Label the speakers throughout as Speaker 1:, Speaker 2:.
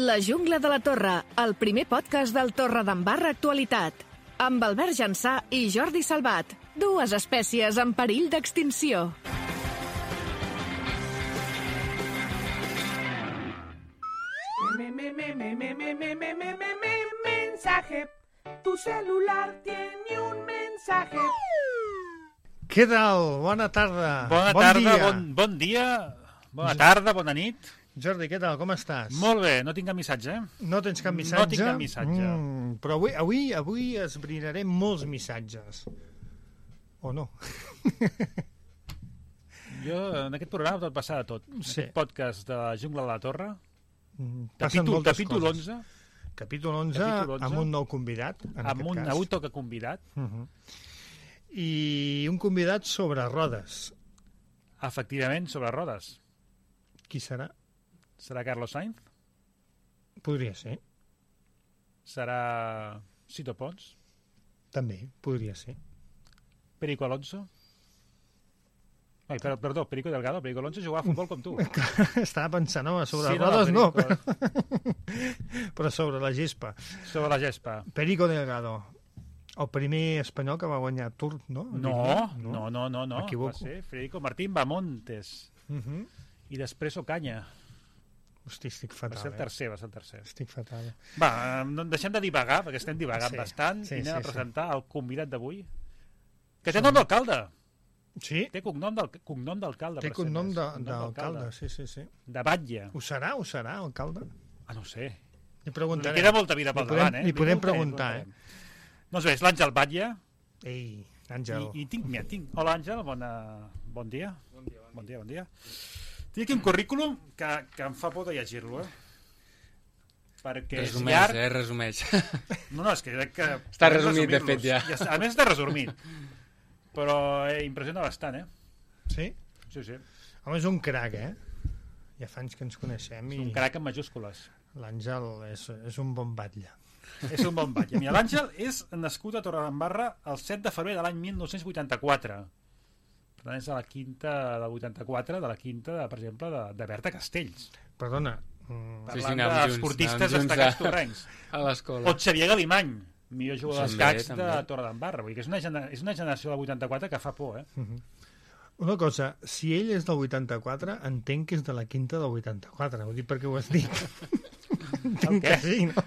Speaker 1: La jungla de la Torre, el primer podcast del Torredembarra Actualitat. Amb Albert Jansà i Jordi Salvat, dues espècies en perill d'extinció.
Speaker 2: Mensaje. Tu celular tiene un mensaje.
Speaker 3: Què tal? Bona tarda.
Speaker 4: Bona tarda, bon dia, bona tarda, bona nit.
Speaker 3: Jordi, què tal? Com estàs?
Speaker 4: Molt bé, no tinc cap missatge, eh?
Speaker 3: No tens cap missatge?
Speaker 4: No tinc cap missatge.
Speaker 3: Però avui esbrinarem molts missatges. O no?
Speaker 4: Jo, en aquest programa pot passar de tot.
Speaker 3: Sí.
Speaker 4: Aquest podcast de la Jungla de la Torre,
Speaker 3: Passen moltes
Speaker 4: capítol
Speaker 3: coses.
Speaker 4: 11.
Speaker 3: Capítol 11, amb un nou convidat, en aquest cas.
Speaker 4: Avui toca convidat.
Speaker 3: I un convidat sobre rodes.
Speaker 4: Efectivament, sobre rodes.
Speaker 3: Qui serà?
Speaker 4: Serà Carlos Sainz?
Speaker 3: Podria ser.
Speaker 4: Serà Sito Pons?
Speaker 3: També, podria ser.
Speaker 4: Perico Alonso? Ai, perdó, Perico Delgado. Perico Alonso jugava a futbol com tu.
Speaker 3: Estava pensant, home, sobre
Speaker 4: Sí,
Speaker 3: rodes
Speaker 4: no,
Speaker 3: no, però sobre la gespa.
Speaker 4: Sobre la gespa.
Speaker 3: Perico Delgado, el primer espanyol que va guanyar Tour, no?
Speaker 4: No.
Speaker 3: M'equivoco.
Speaker 4: Va ser Federico Martín Bamontes. I després Ocaña.
Speaker 3: Hosti, estic fatal.
Speaker 4: Va ser el tercer.
Speaker 3: Estic fatal.
Speaker 4: Va, deixem de divagar, perquè estem divagant bastant, i anem a presentar el convidat d'avui, que té nom d'alcalde.
Speaker 3: Sí?
Speaker 4: Té cognom d'alcalde.
Speaker 3: Té cognom d'alcalde, sí.
Speaker 4: De Batlle.
Speaker 3: Ho serà, alcalde?
Speaker 4: Ah, no ho sé.
Speaker 3: Li preguntarem.
Speaker 4: Li queda molta vida pel davant, eh?
Speaker 3: Li podem preguntar,
Speaker 4: Doncs bé, és l'Àngel Batlle.
Speaker 3: Ei, Àngel.
Speaker 4: I tinc... Hola, Àngel, bon dia. Bon dia. Tinc aquí un currículum que em fa por de llegir-lo, perquè és llarg.
Speaker 5: Resumeix.
Speaker 4: No, és que crec que...
Speaker 5: Està resumit, de fet, ja.
Speaker 4: A més, està resumit. Però impressiona bastant,
Speaker 3: Sí?
Speaker 4: Sí.
Speaker 3: Home, és un crac, Ja fa anys que ens coneixem.
Speaker 4: És un crac en majúscules.
Speaker 3: L'Àngel és un bon batlle.
Speaker 4: És un bon batlle. Mira, l'Àngel és nascut a Torredembarra el 7 de febrer de l'any 1984. Per tant, és de la quinta del 84, de la quinta, per exemple, de Berta Castells.
Speaker 3: Perdona.
Speaker 4: Parlant d'esportistes destacats torrencs.
Speaker 5: A l'escola.
Speaker 4: O Xavier Galimany, millor jugador d'escacs de Torredembarra. Vull dir que és una generació del 84 que fa por,
Speaker 3: Una cosa, si ell és del 84, entenc que és de la quinta del 84. Ho dic perquè ho has dit. Entenc que sí, no?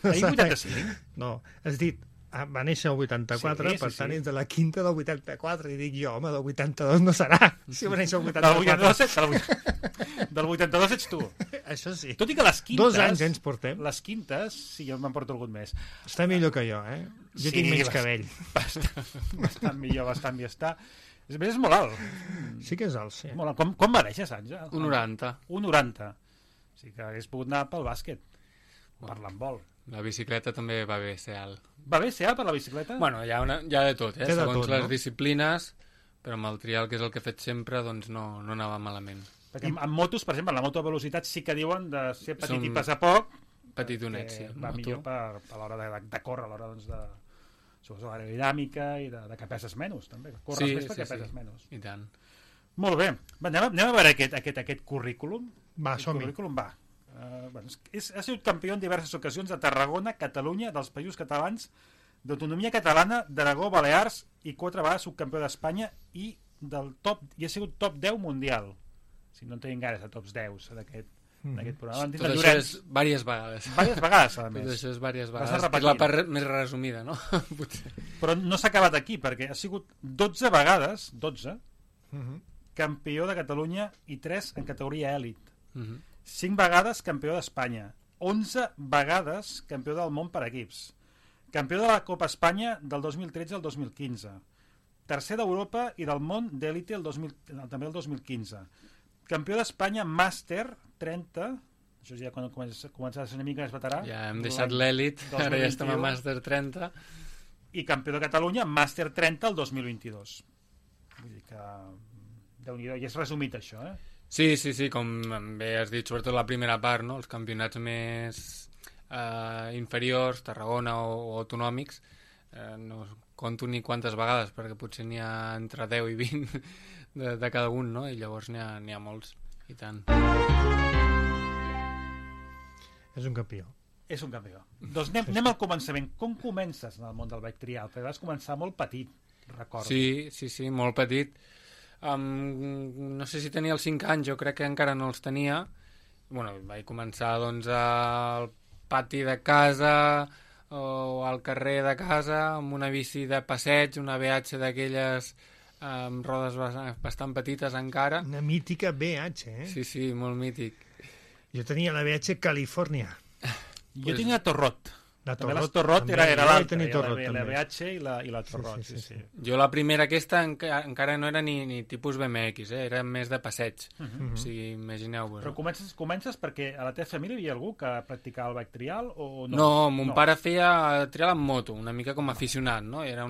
Speaker 4: Ahir 85?
Speaker 3: No, has dit, va néixer el 84, per tant és de la quinta del 84. I dic jo, home, del 82 no serà, si va néixer el 84.
Speaker 4: Del 82 ets tu.
Speaker 3: Això sí.
Speaker 4: Tot i que les quintes...
Speaker 3: 2 anys ens portem.
Speaker 4: Les quintes, sí, jo me'n porto algun més.
Speaker 3: Està millor que jo, Jo tinc menys cabell.
Speaker 4: Bastant millor està. A més, és molt alt.
Speaker 3: Sí que és alt, sí.
Speaker 4: Molt alt. Com va néixer, Àngel?
Speaker 5: 1,90.
Speaker 4: 1,90. O sigui que hagués pogut anar pel bàsquet. Per l'handbol.
Speaker 5: La bicicleta també va bé ser alt.
Speaker 4: Va bé ser alt per la bicicleta?
Speaker 5: Bueno, hi ha de tot, segons les disciplines, però amb el trial, que és el que he fet sempre, doncs no anava malament.
Speaker 4: Perquè en motos, per exemple, en la moto de velocitat sí que diuen de ser petit i pesar poc.
Speaker 5: Petitonet, sí.
Speaker 4: Va millor per l'hora de córrer, a l'hora doncs de... Sobretot l'aerodinàmica i de que peses menys, també. Corres més perquè peses menys.
Speaker 5: I tant.
Speaker 4: Molt bé. Anem a veure aquest currículum.
Speaker 3: Va, som-hi.
Speaker 4: Ha sigut campió en diverses ocasions de Tarragona, Catalunya, dels Països Catalans, d'autonomia catalana, d'Aragó, Balears, i 4 vegades subcampió d'Espanya i ha sigut top 10 mundial. Si no en tenim gaires de tops 10 d'aquest programa.
Speaker 5: Tot això és diverses vegades.
Speaker 4: Diverses vegades, a més.
Speaker 5: Tot això és diverses vegades. És la part més resumida, no?
Speaker 4: Però no s'ha acabat aquí, perquè ha sigut 12 vegades, campió de Catalunya i 3 en categoria èlit. 5 vegades campió d'Espanya. 11 vegades campió del món per equips. Campió de la Copa Espanya del 2013 al 2015. Tercer d'Europa i del món d'élite també el 2015. Campió d'Espanya Màster 30, això ja quan comença a ser una mica més veterà.
Speaker 5: Ja hem deixat l'èlit, ara ja estem a Màster 30.
Speaker 4: I campió de Catalunya Màster 30 el 2022. Vull dir que Déu-n'hi-do, i és resumit això,
Speaker 5: Sí, com bé has dit, sobretot la primera part, no? Els campionats més inferiors, Tarragona o autonòmics, no conto ni quantes vegades, perquè potser n'hi ha entre 10 i 20 de cada un, no? I llavors n'hi ha molts, i tant.
Speaker 3: És un campió.
Speaker 4: És un campió. Doncs anem al començament. Com comences en el món del bike trial? Perquè vas començar molt petit, recordo.
Speaker 5: Sí, molt petit. No sé si tenia els 5 anys, jo crec que encara no els tenia. Bueno, vaig començar doncs al pati de casa o al carrer de casa amb una bici de passeig, una BH d'aquelles amb rodes bastant petites encara.
Speaker 3: Una mítica BH, eh?
Speaker 5: Sí, molt mític.
Speaker 3: Jo tenia la BH Califòrnia.
Speaker 4: Jo tenia Torrot.
Speaker 3: També
Speaker 4: la Torrot era l'altra, la BH i la Torrot.
Speaker 3: Sí.
Speaker 5: Jo la primera aquesta encara no era ni tipus BMX, era més de passeig. O sigui, imagineu-vos.
Speaker 4: Però comences perquè a la teva família hi havia algú que practicava el bike trial o no?
Speaker 5: No, mon pare feia trial amb moto, una mica com aficionat, no? Era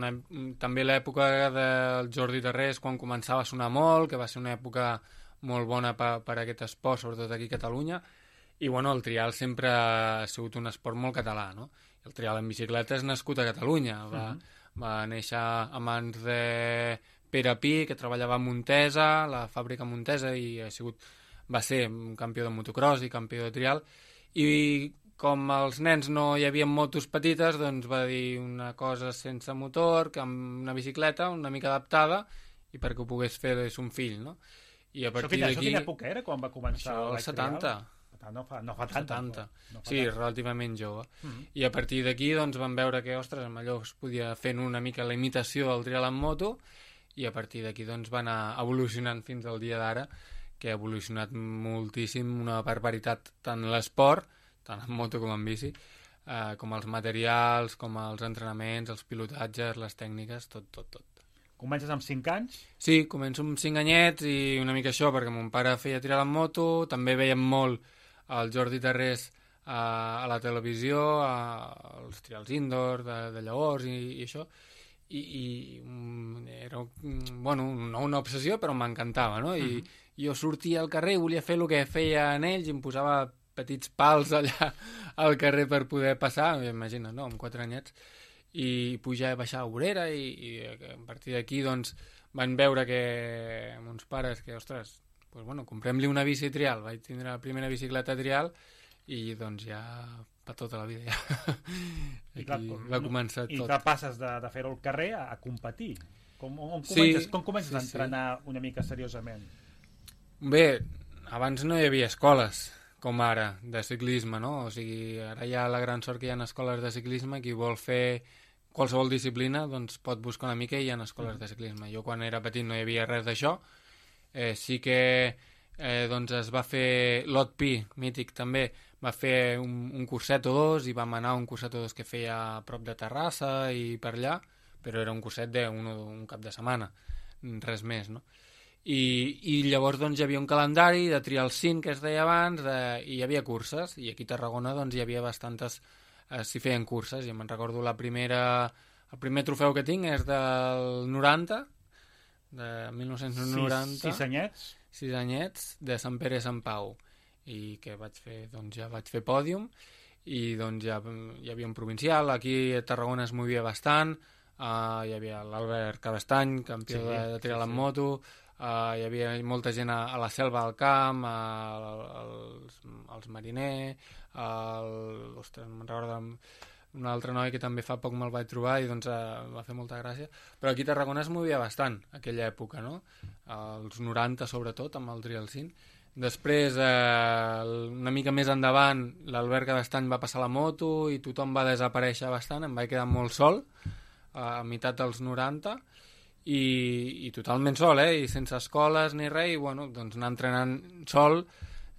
Speaker 5: també l'època del Jordi Tarrés, quan començava a sonar molt, que va ser una època molt bona per aquest esport, sobretot aquí a Catalunya, i bueno, el trial sempre ha sigut un esport molt català, no? El trial en bicicleta és nascut a Catalunya, va néixer a mans de Pere Pi, que treballava a Montesa, la fàbrica Montesa, i va ser un campió de motocross i campió de trial, i com els nens no hi havia motos petites, doncs va dir una cosa sense motor, que amb una bicicleta una mica adaptada, i perquè ho pogués fer son fill, no? I a partir d'aquí...
Speaker 4: Això quina època era quan va començar el bike trial?
Speaker 5: Això, el 70.
Speaker 4: No fa tant.
Speaker 5: 70. Sí, relativament jove. I a partir d'aquí doncs vam veure que, ostres, amb allò es podia fer una mica la imitació del trial en moto, i a partir d'aquí doncs va anar evolucionant fins al dia d'ara, que ha evolucionat moltíssim, una barbaritat, tant l'esport, tant en moto com en bici, com els materials, com els entrenaments, els pilotatges, les tècniques, tot.
Speaker 4: Comences amb 5 anys?
Speaker 5: Sí, començo amb 5 anyets i una mica això, perquè mon pare feia trial en moto, també veiem molt el Jordi Tarrés a la televisió, als trials indoor de llavors i això, i era no una obsessió, però m'encantava, no? I jo sortia al carrer i volia fer el que feien ells, i em posava petits pals allà al carrer per poder passar, imagina't, no?, amb 4 anyets, i pujar i baixar a Obrera, i a partir d'aquí doncs van veure que mons pares que, ostres, pues bueno, comprem-li una bici trial. Vaig tindre la primera bicicleta trial i doncs ja per tota la vida ja. Va començar tot.
Speaker 4: I que passes de fer-ho al carrer a competir. Com comences a entrenar una mica seriosament?
Speaker 5: Bé, abans no hi havia escoles com ara de ciclisme, no? O sigui, ara hi ha la gran sort que hi ha escoles de ciclisme, qui vol fer qualsevol disciplina doncs pot buscar una mica i hi ha escoles de ciclisme. Jo quan era petit no hi havia res d'això. Sí que doncs es va fer l'OTPI, mític també, va fer un curset o dos, i vam anar a un curset o dos que feia a prop de Terrassa i per allà, però era un curset d'un cap de setmana, res més, no? I llavors doncs hi havia un calendari de trial 5 que es deia abans, i hi havia curses, i aquí a Tarragona doncs hi havia bastantes, s'hi feien curses, i me'n recordo el primer trofeu que tinc és del 90, de 1990. 6 anyets de Sant Pere i Sant Pau, i que vaig fer pòdium, i doncs ja hi havia un provincial, aquí a Tarragona es movia bastant, hi havia l'Albert Cabestany, campió de trial en moto, hi havia molta gent a la Selva del Camp, els Mariner, ostres, me'n recordo un altre noi que també fa poc me'l vaig trobar i doncs va fer molta gràcia, però aquí a Tarragona es movia bastant aquella època, no? Els 90 sobretot, amb el Trial 5. Després, una mica més endavant, l'Albert Cabestany va passar la moto i tothom va desaparèixer bastant, em vaig quedar molt sol a meitat dels 90 i totalment sol, i sense escoles ni res, i bueno, doncs anar entrenant sol.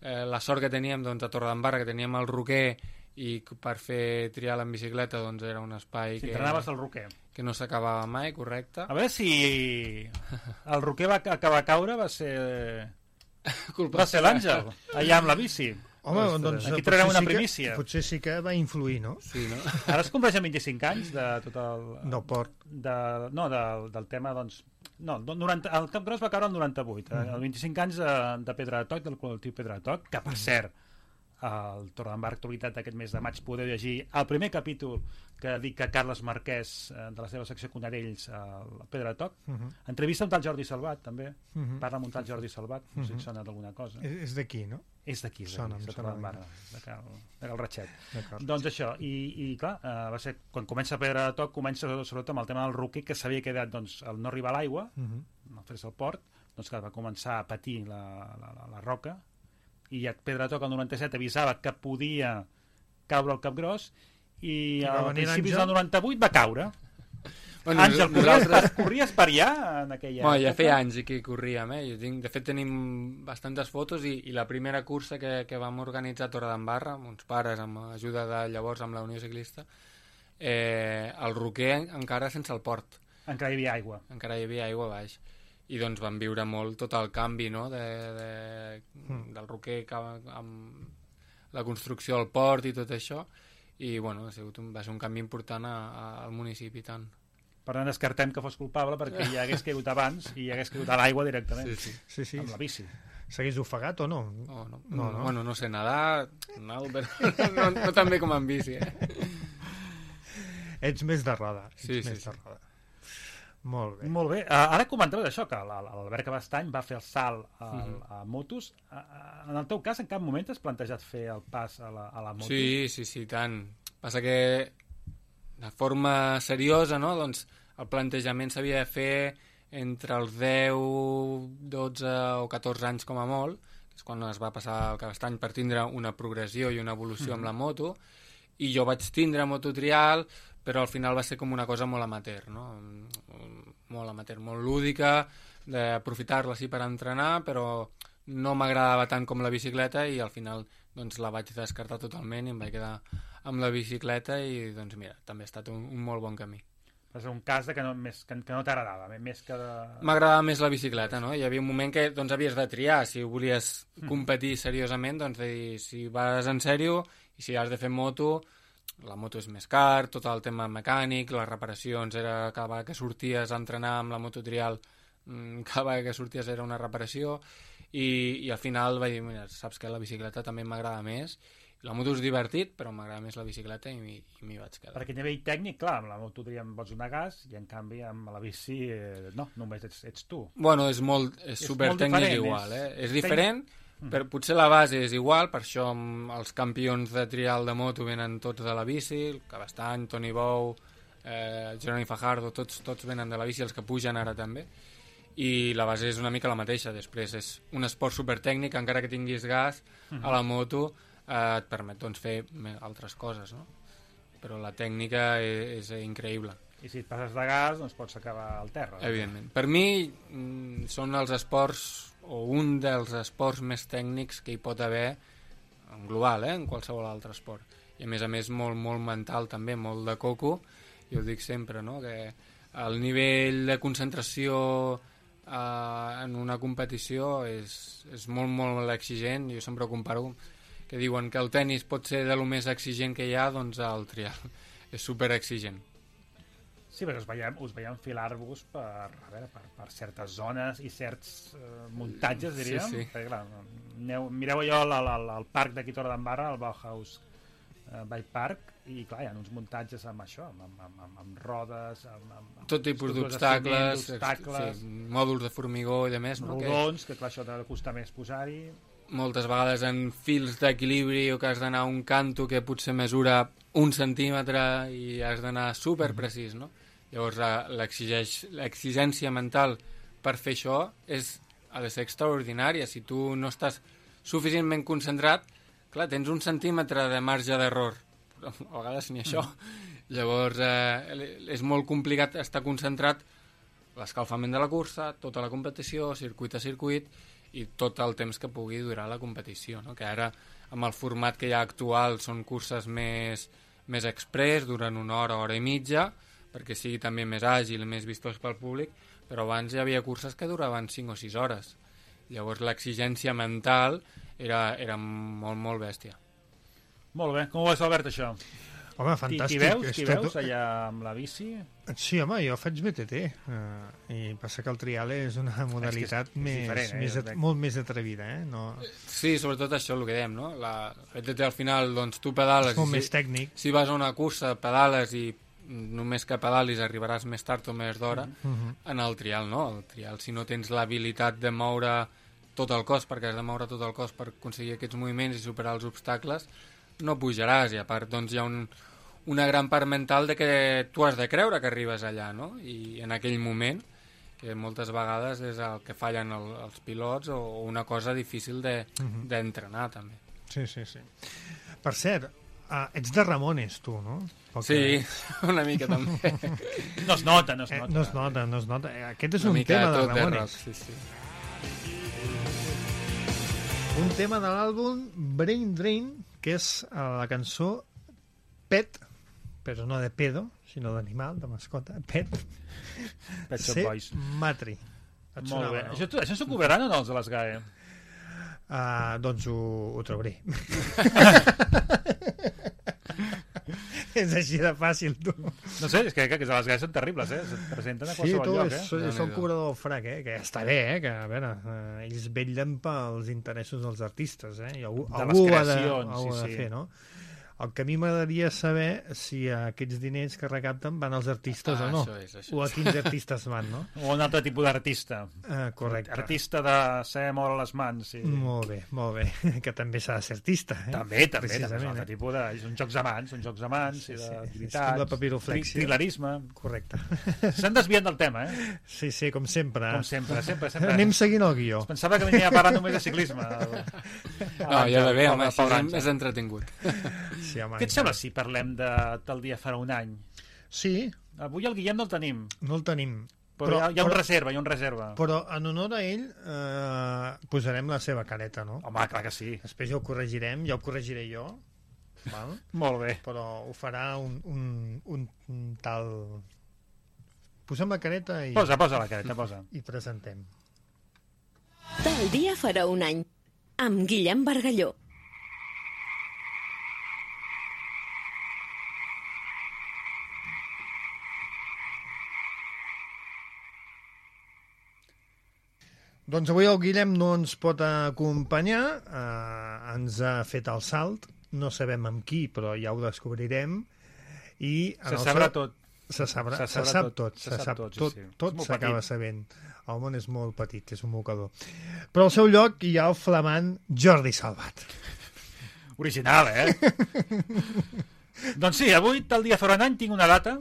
Speaker 5: La sort que teníem doncs, a Torredembarra, que teníem el Roquer, i per fer trial en bicicleta doncs era un espai
Speaker 4: entrenaves al Roquer,
Speaker 5: que no s'acabava mai, correcte.
Speaker 4: A veure si el Roquer va acabar a caure, va ser l'Àngel allà amb la bici.
Speaker 3: Home, doncs
Speaker 4: aquí traurem una primícia.
Speaker 3: Potser sí que va influir, no?
Speaker 5: Sí, no?
Speaker 4: Ara es compleix 25 anys de tot el...
Speaker 3: Del port.
Speaker 4: Del tema, doncs... No, el Cap Gros va caure el 98, els 25 anys de Pedra de Toc, del col·lectiu Pedra de Toc, que per cert, al Torredembarra Actualitat d'aquest mes de maig podeu llegir el primer capítol que dedica Carles Marquès de la seva secció Conarells a la Pedra de Toc. Entrevista amb tal Jordi Salvat, també. Parla amb un tal Jordi Salvat, no sé si sona d'alguna cosa.
Speaker 3: És d'aquí, no?
Speaker 4: És d'aquí, de Torredembarra, de Cal Ratxet. Doncs això, i clar, va ser, quan comença Pedra de Toc, comença sobretot amb el tema del roquer, que s'havia quedat al no arribar a l'aigua, no fer-se al port, doncs clar, va començar a patir la roca, i Pedra de Toc el 97 avisava que podia caure al Capgròs, i a principis del 98 va caure. Bueno, Àngel, corries per allà en aquella època?
Speaker 5: Ja feia anys que corríem, de fet tenim bastantes fotos, i la primera cursa que vam organitzar a Torredembarra, amb uns pares, amb ajuda de llavors amb la Unió Ciclista, el roquer encara sense el port.
Speaker 4: Encara hi havia aigua.
Speaker 5: Encara hi havia aigua a baix. I doncs vam viure molt tot el canvi, no?, del roquer amb la construcció del port i tot això, i bueno, va ser un canvi important al municipi, tant.
Speaker 4: Per tant, descartem que fos culpable perquè ja hagués caigut abans i hagués caigut a l'aigua directament.
Speaker 3: Sí.
Speaker 4: Amb la bici.
Speaker 3: S'hagués ofegat o no?
Speaker 5: No. Bueno, no sé nedar, però no tan bé com en bici,
Speaker 3: Ets més de roda.
Speaker 5: Sí.
Speaker 3: Molt bé.
Speaker 4: Molt bé. Ara comentaves això, que l'Albert Cabestany va fer el salt a motos. En el teu cas, en cap moment t'has plantejat fer el pas a la moto?
Speaker 5: Sí, tant. Passa que de forma seriosa, no?, doncs el plantejament s'havia de fer entre els 10, 12 o 14 anys com a molt, que és quan es va passar el Cabestany per tindre una progressió i una evolució amb la moto, i jo vaig tindre mototrial, però al final va ser com una cosa molt amateur, no? Molt amateur, molt lúdica, d'aprofitar-la sí per entrenar, però no m'agradava tant com la bicicleta, i al final doncs la vaig descartar totalment i em vaig quedar amb la bicicleta, i doncs mira, també ha estat un molt bon camí.
Speaker 4: Va ser un cas que no t'agradava, més que de...
Speaker 5: M'agradava més la bicicleta, no? Hi havia un moment que doncs havies de triar, si volies competir seriosament, doncs de dir, si vas en sèrio i si has de fer moto, la moto és més car, tot el tema mecànic, les reparacions, era cada vegada que sorties a entrenar amb la mototrial, cada vegada que sorties era una reparació, i al final vaig dir, mira, saps que la bicicleta també m'agrada més. La moto és divertit, però m'agrada més la bicicleta i m'hi vaig quedar.
Speaker 4: Perquè a nivell tècnic, clar, amb la moto pots donar gas, i en canvi amb la bici no, només ets tu.
Speaker 5: Bueno, és supertècnic igual, És diferent, però potser la base és igual, per això els campions de trial de moto venen tots de la bici, el Cabestany, Toni Bou, Jeroni Fajardo, tots venen de la bici, els que pugen ara també, i la base és una mica la mateixa. Després és un esport supertècnic, encara que tinguis gas a la moto, et permet doncs, fer altres coses, no? Però la tècnica és increïble.
Speaker 4: I si et passes de gas, doncs pots acabar al terra.
Speaker 5: Evidentment. Per mi són els esports, o un dels esports més tècnics que hi pot haver en global, en qualsevol altre esport. I a més molt, molt mental també, molt de coco. Jo ho dic sempre, no?, que el nivell de concentració en una competició és molt, molt exigent. Jo sempre ho comparo, que diuen que el tennis pot ser de lo més exigent que hi ha, doncs el trial és superexigent.
Speaker 4: Sí, perquè us veiem enfilar-vos per certes zones i certs muntatges, diríem.
Speaker 5: Sí.
Speaker 4: Perquè, clar, mireu allò al parc d'aquí Torredembarra, el Bauhaus Bike Park, i clar, hi ha uns muntatges amb això, amb rodes, amb
Speaker 5: tot tipus d'obstacles, mòduls de formigó i de més, no?
Speaker 4: Rodons, que clar, això t'ha de costar més posar-hi.
Speaker 5: Moltes vegades en fils d'equilibri, o que has d'anar a un canto que potser mesura 1 centímetre i has d'anar superprecís, no? Llavors l'exigència mental per fer això ha de ser extraordinària. Si tu no estàs suficientment concentrat, clar, tens 1 centímetre de marge d'error, però a vegades ni això. Llavors és molt complicat estar concentrat, l'escalfament de la cursa, tota la competició, circuit a circuit, i tot el temps que pugui durar la competició, no? Que ara amb el format que hi ha actual són curses més express, duren 1 hora, hora i mitja, perquè sigui també més àgil i més vistós pel públic, però abans hi havia curses que duraven 5 o 6 hores. Llavors l'exigència mental era molt, molt bèstia.
Speaker 4: Molt bé. Com ho veus, Albert, això?
Speaker 3: Home, fantàstic.
Speaker 4: T'hi veus allà amb la bici?
Speaker 3: Sí, home, jo faig BTT. I passa que el trial és una modalitat molt més atrevida, No...
Speaker 5: Sí, sobretot això, el que dèiem, no? La BTT al final, doncs tu pedales...
Speaker 3: És molt més tècnic.
Speaker 5: Si vas a una cursa, pedales i només que pedalis arribaràs més tard o més d'hora. En el trial, no? El trial, si no tens l'habilitat de moure tot el cos, perquè has de moure tot el cos per aconseguir aquests moviments i superar els obstacles, no pujaràs. I a part, doncs, hi ha una gran part mental de que tu has de creure que arribes allà, no? I en aquell moment, que moltes vegades és el que fallen els pilots o una cosa difícil d'entrenar, també.
Speaker 3: Sí. Per cert, ets de Ramones, tu, no?
Speaker 5: Sí, una mica també.
Speaker 4: No es nota.
Speaker 3: No es nota. Aquest és un tema de Ramones.
Speaker 5: Sí.
Speaker 3: Un tema de l'àlbum Brain Drain, que és la cançó Pet, però no de pedo, sinó d'animal, de mascota, Pet
Speaker 4: Shop Boys.
Speaker 3: Matri.
Speaker 4: Molt bé. No? Això s'ho cobraran o no, els de les GAE?
Speaker 3: Doncs ho trobaré. És així de fàcil, tu.
Speaker 4: No sé, és que les GAE són terribles, Es presenten a qualsevol lloc,
Speaker 3: Sí, són cobrador del frac, que està bé, que a veure, ells vetllen pels interessos dels artistes, I algú ha de fer, no? El que a mi m'agradaria saber si aquests diners que recapten van als artistes o no.
Speaker 5: Això.
Speaker 3: O a quins artistes van, no?
Speaker 4: O un altre tipus d'artista.
Speaker 3: Correcte.
Speaker 4: Artista de saber moure les mans. Sí.
Speaker 3: Molt bé. Que també s'ha de ser artista.
Speaker 4: També. És un altre tipus de... Són jocs de mans, i d'activitats.
Speaker 3: Com la papiroflexia.
Speaker 4: Trilerisme.
Speaker 3: Correcte.
Speaker 4: S'han desviat del tema,
Speaker 3: Sí, com sempre.
Speaker 4: Com sempre.
Speaker 3: Anem seguint el guió.
Speaker 4: Es pensava que venia a parlar només de ciclisme.
Speaker 5: No, ja va bé, home, és entretingut.
Speaker 3: Sí, home,
Speaker 4: què et sembla si parlem del dia farà un any?
Speaker 3: Sí.
Speaker 4: Avui el Guillem no el tenim.
Speaker 3: No el tenim.
Speaker 4: Però hi ha un reserva.
Speaker 3: Però en honor a ell posarem la seva careta, no?
Speaker 4: Home, clar que sí.
Speaker 3: Després ja ho corregirem, ja ho corregiré jo. Val?
Speaker 4: Molt bé.
Speaker 3: Però ho farà un tal... Posem la careta i...
Speaker 4: Posa la careta, posa.
Speaker 3: I presentem.
Speaker 6: Tal dia farà un any, amb Guillem Bargalló.
Speaker 3: Doncs avui el Guillem no ens pot acompanyar, ens ha fet el salt, no sabem amb qui, però ja ho descobrirem. I
Speaker 4: se sabrà tot.
Speaker 3: Se sap tot. Tot s'acaba sabent. El món és molt petit, és un mocador. Però al seu lloc hi ha el flamant Jordi Salvat.
Speaker 4: Original, Doncs sí, avui, tal dia farà un any, tinc una data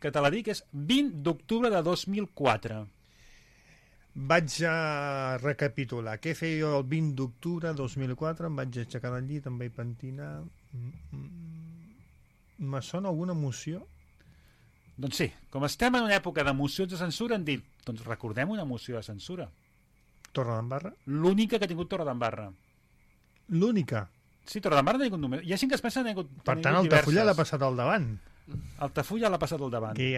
Speaker 4: que te la dic, és 20 d'octubre de 2004.
Speaker 3: Vaig a recapitular. Què feia jo el 20 d'octubre de 2004? Em vaig aixecar del llit, em vaig pentinar... Me sona alguna emoció?
Speaker 4: Doncs sí, com estem en una època d'emocions de censura, hem dit, doncs recordem una emoció de censura.
Speaker 3: Torredembarra?
Speaker 4: L'única que ha tingut Torredembarra.
Speaker 3: L'única?
Speaker 4: Sí, Torredembarra no ha tingut només. Hi ha gent que es pensa que ha tingut
Speaker 3: per tant, Altafulla l'ha passat al davant.
Speaker 4: Altafulla l'ha passat al davant.
Speaker 3: Que hi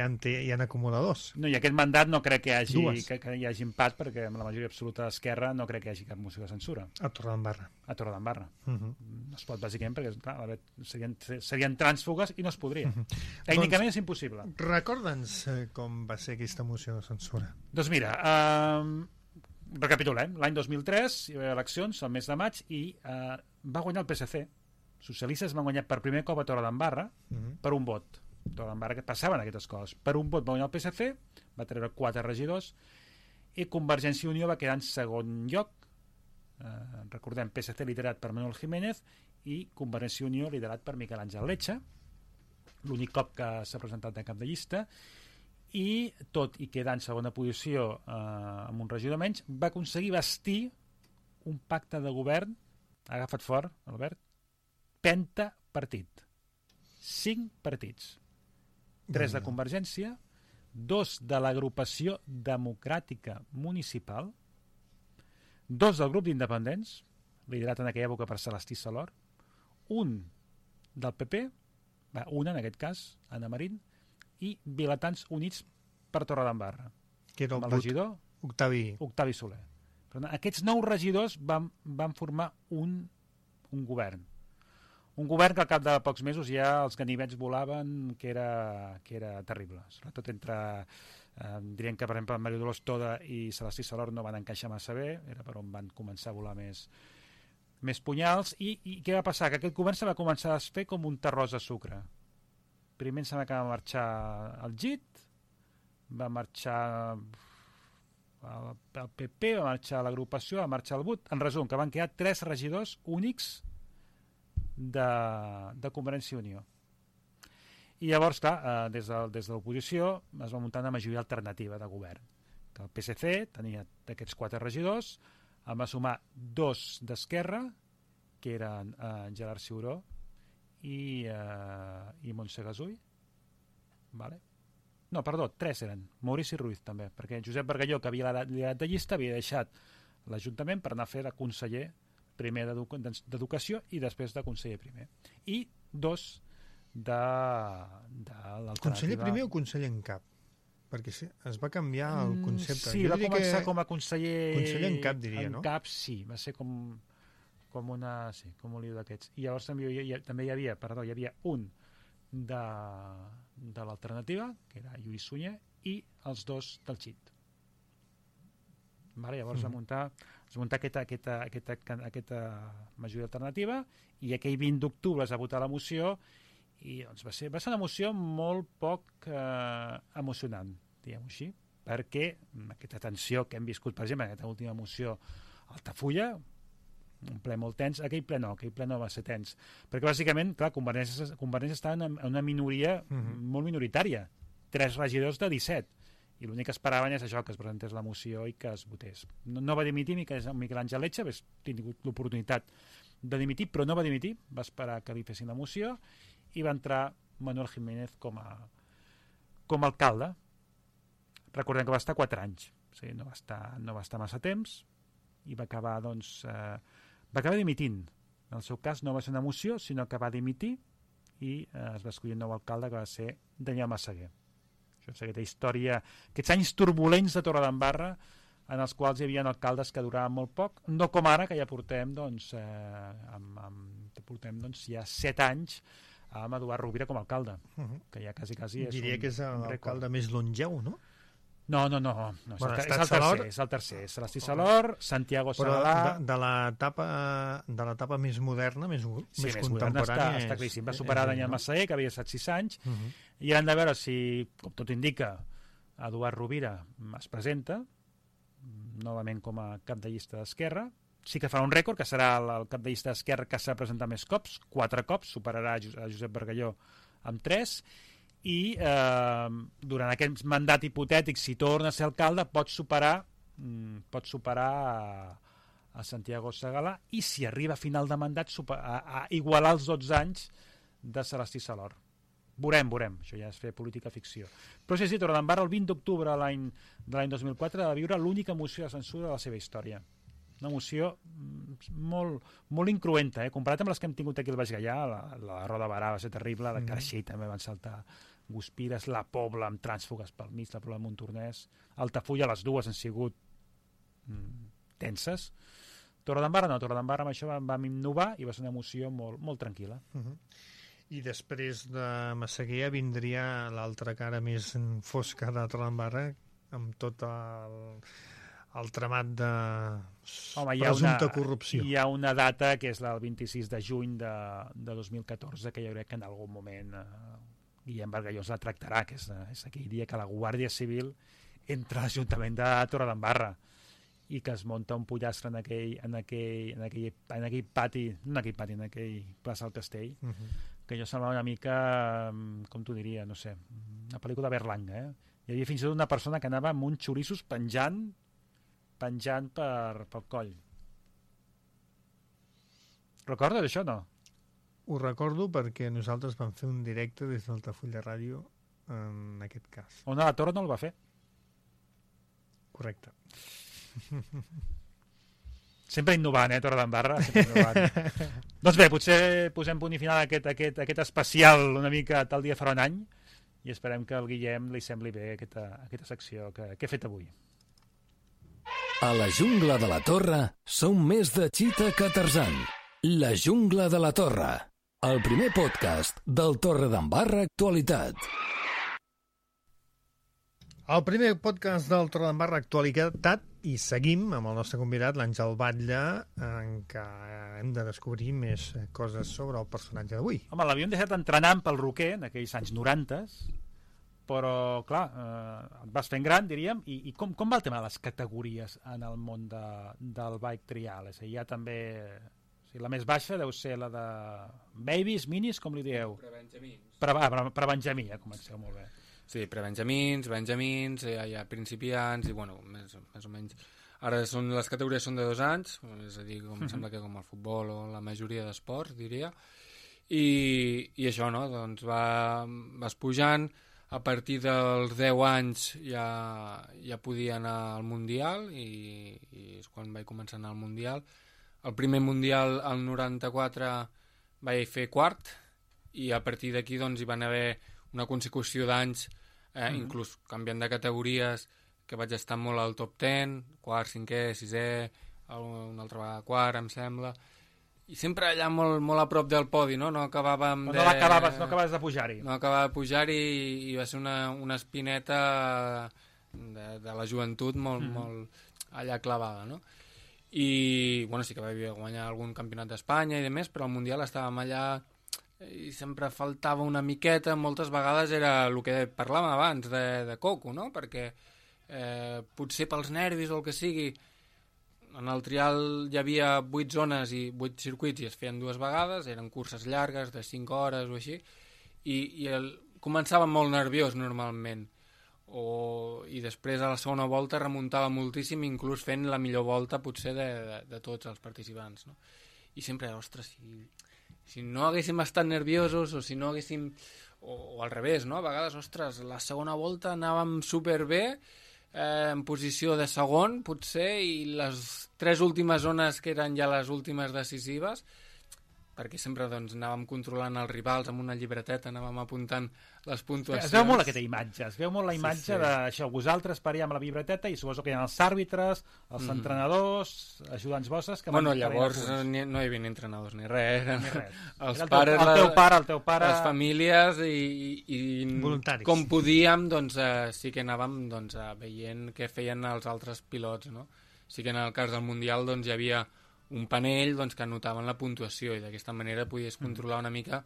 Speaker 3: ha acumuladors.
Speaker 4: No, i aquest mandat no crec que hi hagi empat, perquè amb la majoria absoluta d'Esquerra no crec que hi hagi cap moció de censura.
Speaker 3: A Torredembarra.
Speaker 4: No es pot, bàsicament, perquè clar, serien trànsfugues i no es podria. Tècnicament és impossible.
Speaker 3: Recorda'ns com va ser aquesta moció de censura.
Speaker 4: Doncs mira, recapitulem. L'any 2003 hi va haver eleccions, al mes de maig, i va guanyar el PSC. Socialistes van guanyar per primer cop a Torredembarra per un vot. Torredembarra, que passaven aquestes coses. Per un vot va guanyar el PSC, va treure 4 regidors, i Convergència i Unió va quedar en segon lloc. Recordem, PSC liderat per Manuel Jiménez i Convergència i Unió liderat per Miquel Àngel Lecce, l'únic cop que s'ha presentat de cap de llista, i tot i quedar en segona posició amb un regidor menys, va aconseguir bastir un pacte de govern, agafat fort, Albert, pentapartit. 5 partits. 3 de Convergència, 2 de l'agrupació democràtica municipal, 2 del grup d'independents, liderat en aquella època per Celestí Salor, 1 del PP, una en aquest cas, Anna Marín, i Vilatans Units per Torredembarra.
Speaker 3: Que era
Speaker 4: el regidor Octavi Soler. Per tant, aquests 9 regidors van formar un govern. Un govern que al cap de pocs mesos ja els ganivets volaven, que era terrible. Sobretot entre... dirien que, per exemple, Mario Dolors Toda i Celestí Salor no van encaixar massa bé, era per on van començar a volar més punyals. I què va passar? Que aquest govern se va començar a fer com un terròs de sucre. Primer em sembla que va marxar el GIT, va marxar el PP, va marxar l'agrupació, va marxar el BUT. En resum, que van quedar 3 regidors únics de Convergència i Unió. I llavors, clar, des de l'oposició es va muntar una majoria alternativa de govern. Que el PSC tenia d'aquests 4 regidors, en va sumar 2 d'Esquerra, que eren Gerard Ciuró i Montse Gasull. Vale. No, perdó, 3 eren. Maurici Ruiz també, perquè Josep Bargalló, que havia liderat de llista, havia deixat l'Ajuntament per anar a fer de conseller primer d'Educació i després de conseller primer. I 2 de l'alternativa...
Speaker 3: Conseller primer o conseller en cap? Perquè es va canviar el concepte.
Speaker 4: Sí, va començar com a conseller...
Speaker 3: Conseller en cap, diria, no?
Speaker 4: En cap, sí. Va ser com una... Sí, com un lío d'aquests. I llavors també hi havia un de l'alternativa, que era Lluís Sunyer, i els 2 del XIT. Vale, llavors va muntar aquesta majoria alternativa i aquell 20 d'octubre es va votar la moció i doncs va ser una moció molt poc emocionant, diguem-ho així, perquè aquesta tensió que hem viscut, per exemple, en aquesta última moció Altafulla, un ple molt tens, aquell ple no va ser tens, perquè bàsicament, clar, Convergència està en una minoria molt minoritària, 3 regidors de 17, i l'únic que esperaven és això, que es presentés la moció i que es votés. No va dimitir Miquel Àngel Lecce, ha tingut l'oportunitat de dimitir, però no va dimitir, va esperar que li fessin la moció i va entrar Manuel Jiménez com a alcalde. Recordem que va estar 4 anys, o sigui, no va estar massa temps i va acabar, dimitint. En el seu cas no va ser una moció, sinó que va dimitir i es va escollir un nou alcalde, que va ser Daniel Massaguer. Això és aquesta història, aquests anys turbulents de Torredembarra, en els quals hi havia alcaldes que duraven molt poc, no com ara, que ja portem ja 7 anys amb Eduard Rovira com a alcalde, que ja quasi és
Speaker 3: diria que és l'alcalde més longeu, no?
Speaker 4: No, és el tercer. Celestí Salor, Santiago Segalà...
Speaker 3: De l'etapa més moderna, més contemporània...
Speaker 4: Està claríssim. Va superar Daniel Massaguer, que havia estat 6 anys, i han de veure si, com tot indica, Eduard Rovira es presenta, novament com a cap de llista d'Esquerra. Sí que farà un rècord, que serà el cap de llista d'Esquerra que s'ha presentat més cops, 4 cops, superarà a Josep Bargalló amb 3, i durant aquest mandat hipotètic, si torna a ser alcalde, pot superar a Santiago Segalà, i si arriba a final de mandat a igualar els 12 anys de Celestí Salor. Veurem, això ja és fer política ficció. Però sí, Torredembarra el 20 d'octubre de l'any 2004 va viure l'única moció de censura de la seva història. Una moció molt incruenta, comparat amb les que hem tingut aquí al Baix Gaià. La Roda Barà va ser terrible, la Carxell també van saltar Guspires, la Pobla amb trànsfugues pel mig, la Pobla de Montornès, Altafulla, les dues han sigut tenses. Torredembarra no, Torredembarra amb això vam innovar i va ser una moció molt tranquil·la.
Speaker 3: I després de Massaguer vindria l'altra cara més fosca de Torredembarra, amb tot el tramat de presumpta corrupció.
Speaker 4: Hi ha una data que és el 26 de juny de 2014, que jo crec que en algun moment Guillem Bargalló la tractarà, que és aquell dia que la Guàrdia Civil entra a l'Ajuntament de Torredembarra i que es munta un pollastre en aquell pati, no en aquell pati, en aquell plaça del Castell, que jo semblava una mica, com t'ho diria, no sé, una pel·lícula de Berlanga. Hi havia fins i tot una persona que anava amb uns xoriços penjant pel coll. Recordes això, no?
Speaker 3: Ho recordo perquè nosaltres vam fer un directe des d'Altafulla Ràdio en aquest cas.
Speaker 4: On a la Torre no el va fer.
Speaker 3: Correcte.
Speaker 4: Sempre innovant, Torredembarra? Sempre innovant. Doncs bé, potser posem punt i final a aquest especial una mica tal dia farà un any i esperem que al Guillem li sembli bé aquesta secció que he fet avui.
Speaker 7: A la jungla de la Torre som més de Chita que Tarzan. La jungla de la Torre. el primer podcast del Torredembarra Actualitat.
Speaker 3: El primer podcast del Torredembarra Actualitat, i seguim amb el nostre convidat, l'Àngel Batlle, en què hem de descobrir més coses sobre el personatge d'avui.
Speaker 4: Home, l'havíem deixat entrenant pel Roquer en aquells anys 90, però, clar, et vas fent gran, diríem, i com va el tema de les categories en el món del bike trial? És a dir, hi ha també... O sigui, la més baixa deu ser la de babies, minis, com li dieu?
Speaker 5: Prebenjamins.
Speaker 4: Prebenjamí, comenceu molt bé.
Speaker 5: Sí, prebenjamins, benjamins, hi ha principiants i, bueno, més o menys. Ara les categories són de 2 anys, és a dir, sembla que com el futbol o la majoria d'esports, diria. I això, no? Doncs vas pujant, a partir dels 10 anys ja podia anar al Mundial i és quan vaig començar a anar al Mundial. El primer Mundial, el 94, vaig fer quart i a partir d'aquí doncs, hi van haver una consecució d'anys, inclús canviant de categories, que vaig estar molt al top 10, quart, cinquè, sisè, una altra vegada quart, em sembla, i sempre allà molt, molt a prop del podi, no? No acabàvem
Speaker 4: no acabaves de pujar-hi.
Speaker 5: No acabava de pujar-hi i va ser una espineta de la joventut molt allà clavada, no? I, bueno, sí que vaig guanyar algun campionat d'Espanya i demés, però al Mundial estàvem allà i sempre faltava una miqueta. Moltes vegades era el que parlàvem abans de coco, no? Perquè potser pels nervis o el que sigui, en el trial hi havia 8 zones i 8 circuits i es feien 2 vegades, eren curses llargues de 5 hores o així, i començava molt nerviós normalment, i després a la segona volta remuntava moltíssim, inclús fent la millor volta potser de tots els participants, no? I sempre, ostres, si no haguéssim estat nerviosos o si no haguéssim... O al revés, no? A vegades, ostres, la segona volta anàvem superbé, en posició de segon, potser, i les 3 últimes zones que eren ja les últimes decisives, perquè sempre doncs, anàvem controlant els rivals amb una llibreteta, anàvem apuntant les puntuacions.
Speaker 4: Es veu molt aquesta imatge, es veu molt la imatge d'això, vosaltres paria amb la llibreteta i suposo que hi ha els àrbitres, els entrenadors, ajudants vostres...
Speaker 5: Bueno, llavors no hi havia ni entrenadors ni res, eren els
Speaker 4: pares, el teu pare,
Speaker 5: les famílies i
Speaker 3: voluntaris.
Speaker 5: Com podíem, doncs sí que anàvem doncs, veient què feien els altres pilots, no? Sí que en el cas del Mundial doncs, hi havia un panell doncs, que anotaven la puntuació i d'aquesta manera podies controlar una mica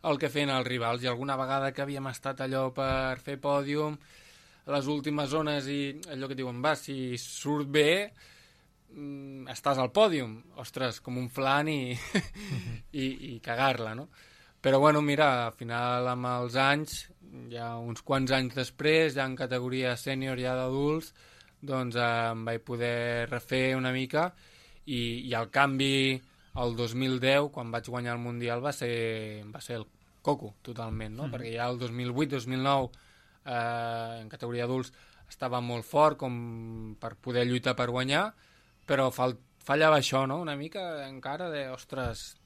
Speaker 5: el que feien els rivals, i alguna vegada que havíem estat allò per fer pòdium a les últimes zones i allò que diuen, va, si surt bé estàs al pòdium, ostres, com un flan i cagar-la, no? Però bueno, mira, al final amb els anys, ja uns quants anys després, ja en categoria sènior, ja d'adults, doncs em vaig poder refer una mica. I el canvi el 2010, quan vaig guanyar el Mundial, va ser el coco, totalment, no? Perquè ja el 2008-2009, en categoria adults, estava molt fort com per poder lluitar per guanyar, però fallava això, no? Una mica encara de, ostres,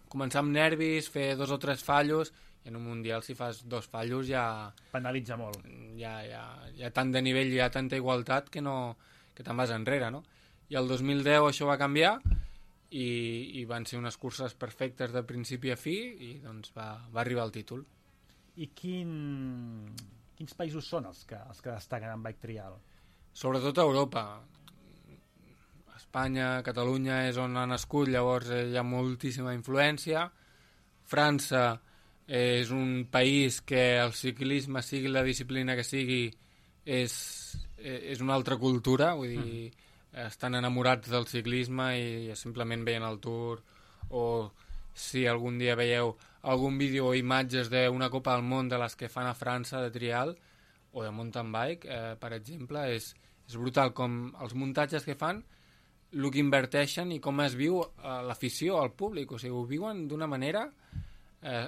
Speaker 5: començar amb nervis, fer 2 o 3 fallos, i en un Mundial si fas 2 fallos ja...
Speaker 4: Penalitza molt.
Speaker 5: Hi ha tant de nivell, hi ha tanta igualtat que te'n vas enrere, no? I el 2010 això va canviar i van ser unes curses perfectes de principi a fi i doncs va arribar el títol.
Speaker 4: I quins països són els que destaquen en bike trial?
Speaker 5: Sobretot a Europa. Espanya, Catalunya és on ha nascut, llavors hi ha moltíssima influència. França és un país que el ciclisme, sigui la disciplina que sigui, és una altra cultura, vull dir... estan enamorats del ciclisme i simplement veien el Tour, o si algun dia veieu algun vídeo o imatges d'una Copa del Món de les que fan a França de trial o de mountain bike, per exemple, és brutal com els muntatges que fan, el que inverteixen i com es viu l'afició al públic, o sigui, ho viuen d'una manera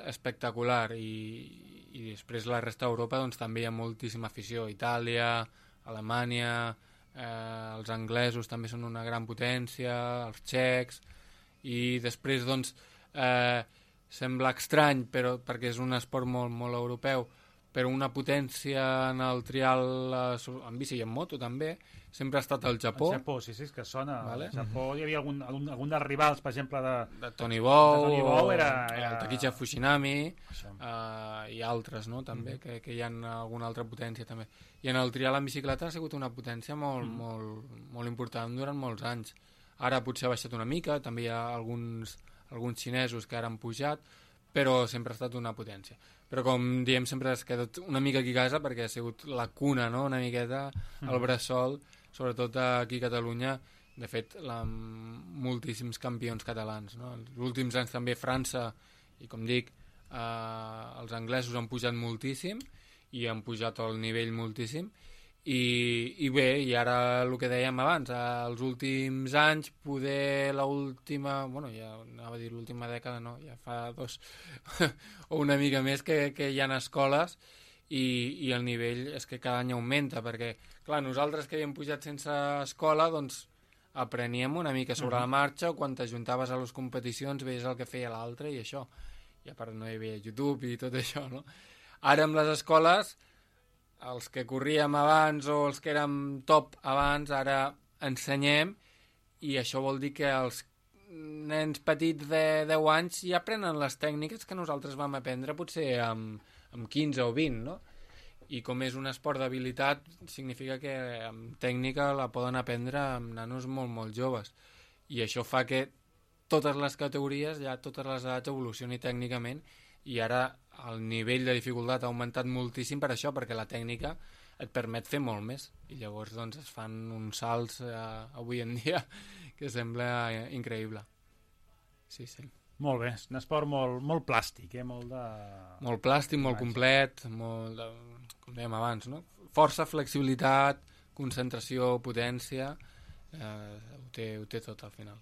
Speaker 5: espectacular i després la resta d'Europa doncs, també hi ha moltíssima afició, Itàlia, Alemanya, els anglesos també són una gran potència, els txecs, i després doncs sembla estrany, però perquè és un esport molt, molt europeu, però una potència en el trial en bici i en moto també, sempre ha estat el Japó.
Speaker 4: El Japó, sí, és que sona. Vale. El Japó hi havia algun dels rivals, per exemple,
Speaker 5: de Tony Bow,
Speaker 4: era...
Speaker 5: el Takichi Fujinami i altres, no? També, que hi ha alguna altra potència també. I en el trial en bicicleta ha sigut una potència molt important durant molts anys. Ara potser ha baixat una mica, també hi ha alguns xinesos que ara han pujat, però sempre ha estat una potència. Però com diem, sempre has quedat una mica aquí a casa perquè ha sigut la cuna, no?, una miqueta, el bressol, sobretot aquí a Catalunya, de fet, moltíssims campions catalans, no? Els últims anys també França, i com dic, els anglesos han pujat moltíssim i han pujat el nivell moltíssim, i bé, i ara el que dèiem abans, els últims anys, poder l'última, bueno, ja anava a dir l'última dècada, no, ja fa 2 o una mica més que hi ha escoles, i el nivell és que cada any augmenta, perquè, clar, nosaltres que havíem pujat sense escola, doncs apreníem una mica sobre la marxa, o quan t'ajuntaves a les competicions veies el que feia l'altre i això, i a part no hi havia YouTube i tot això, no? Ara amb les escoles, els que corríem abans o els que érem top abans, ara ensenyem, i això vol dir que els nens petits de 10 anys ja aprenen les tècniques que nosaltres vam aprendre potser amb 15 o 20, no? I com és un esport d'habilitat, significa que amb tècnica la poden aprendre amb nanos molt joves, i això fa que totes les categories, ja totes les edats evolucionin tècnicament, i ara el nivell de dificultat ha augmentat moltíssim per això, perquè la tècnica et permet fer molt més, i llavors doncs es fan uns salts avui en dia que sembla increïble. Sí.
Speaker 4: Molt bé, és un esport molt plàstic, molt de...
Speaker 5: Molt plàstic, molt complet, molt de, com dèiem abans, no? Força, flexibilitat, concentració, potència, ho té tot al final.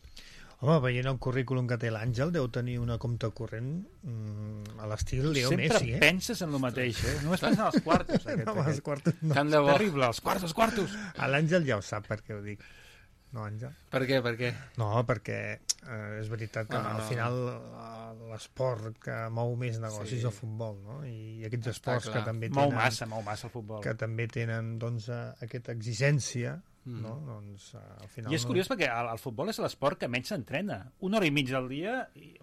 Speaker 3: Home, veient el currículum que té l'Àngel, deu tenir una compte corrent a l'estil Leo Messi,
Speaker 4: Sempre penses en el mateix, Només penses en els quartos.
Speaker 3: Els quartos no.
Speaker 4: És terrible, els quartos.
Speaker 3: A l'Àngel ja ho sap per què ho dic. No, Àngel?
Speaker 5: Per què?
Speaker 3: No, perquè és veritat que al final l'esport que mou més negocis és el futbol, no? I aquests esports que també tenen...
Speaker 4: Mou massa el futbol.
Speaker 3: Que també tenen, doncs, aquesta exigència, no? Doncs, al final...
Speaker 4: I és curiós perquè el futbol és l'esport que menys s'entrena. 1 hora i mitja al dia,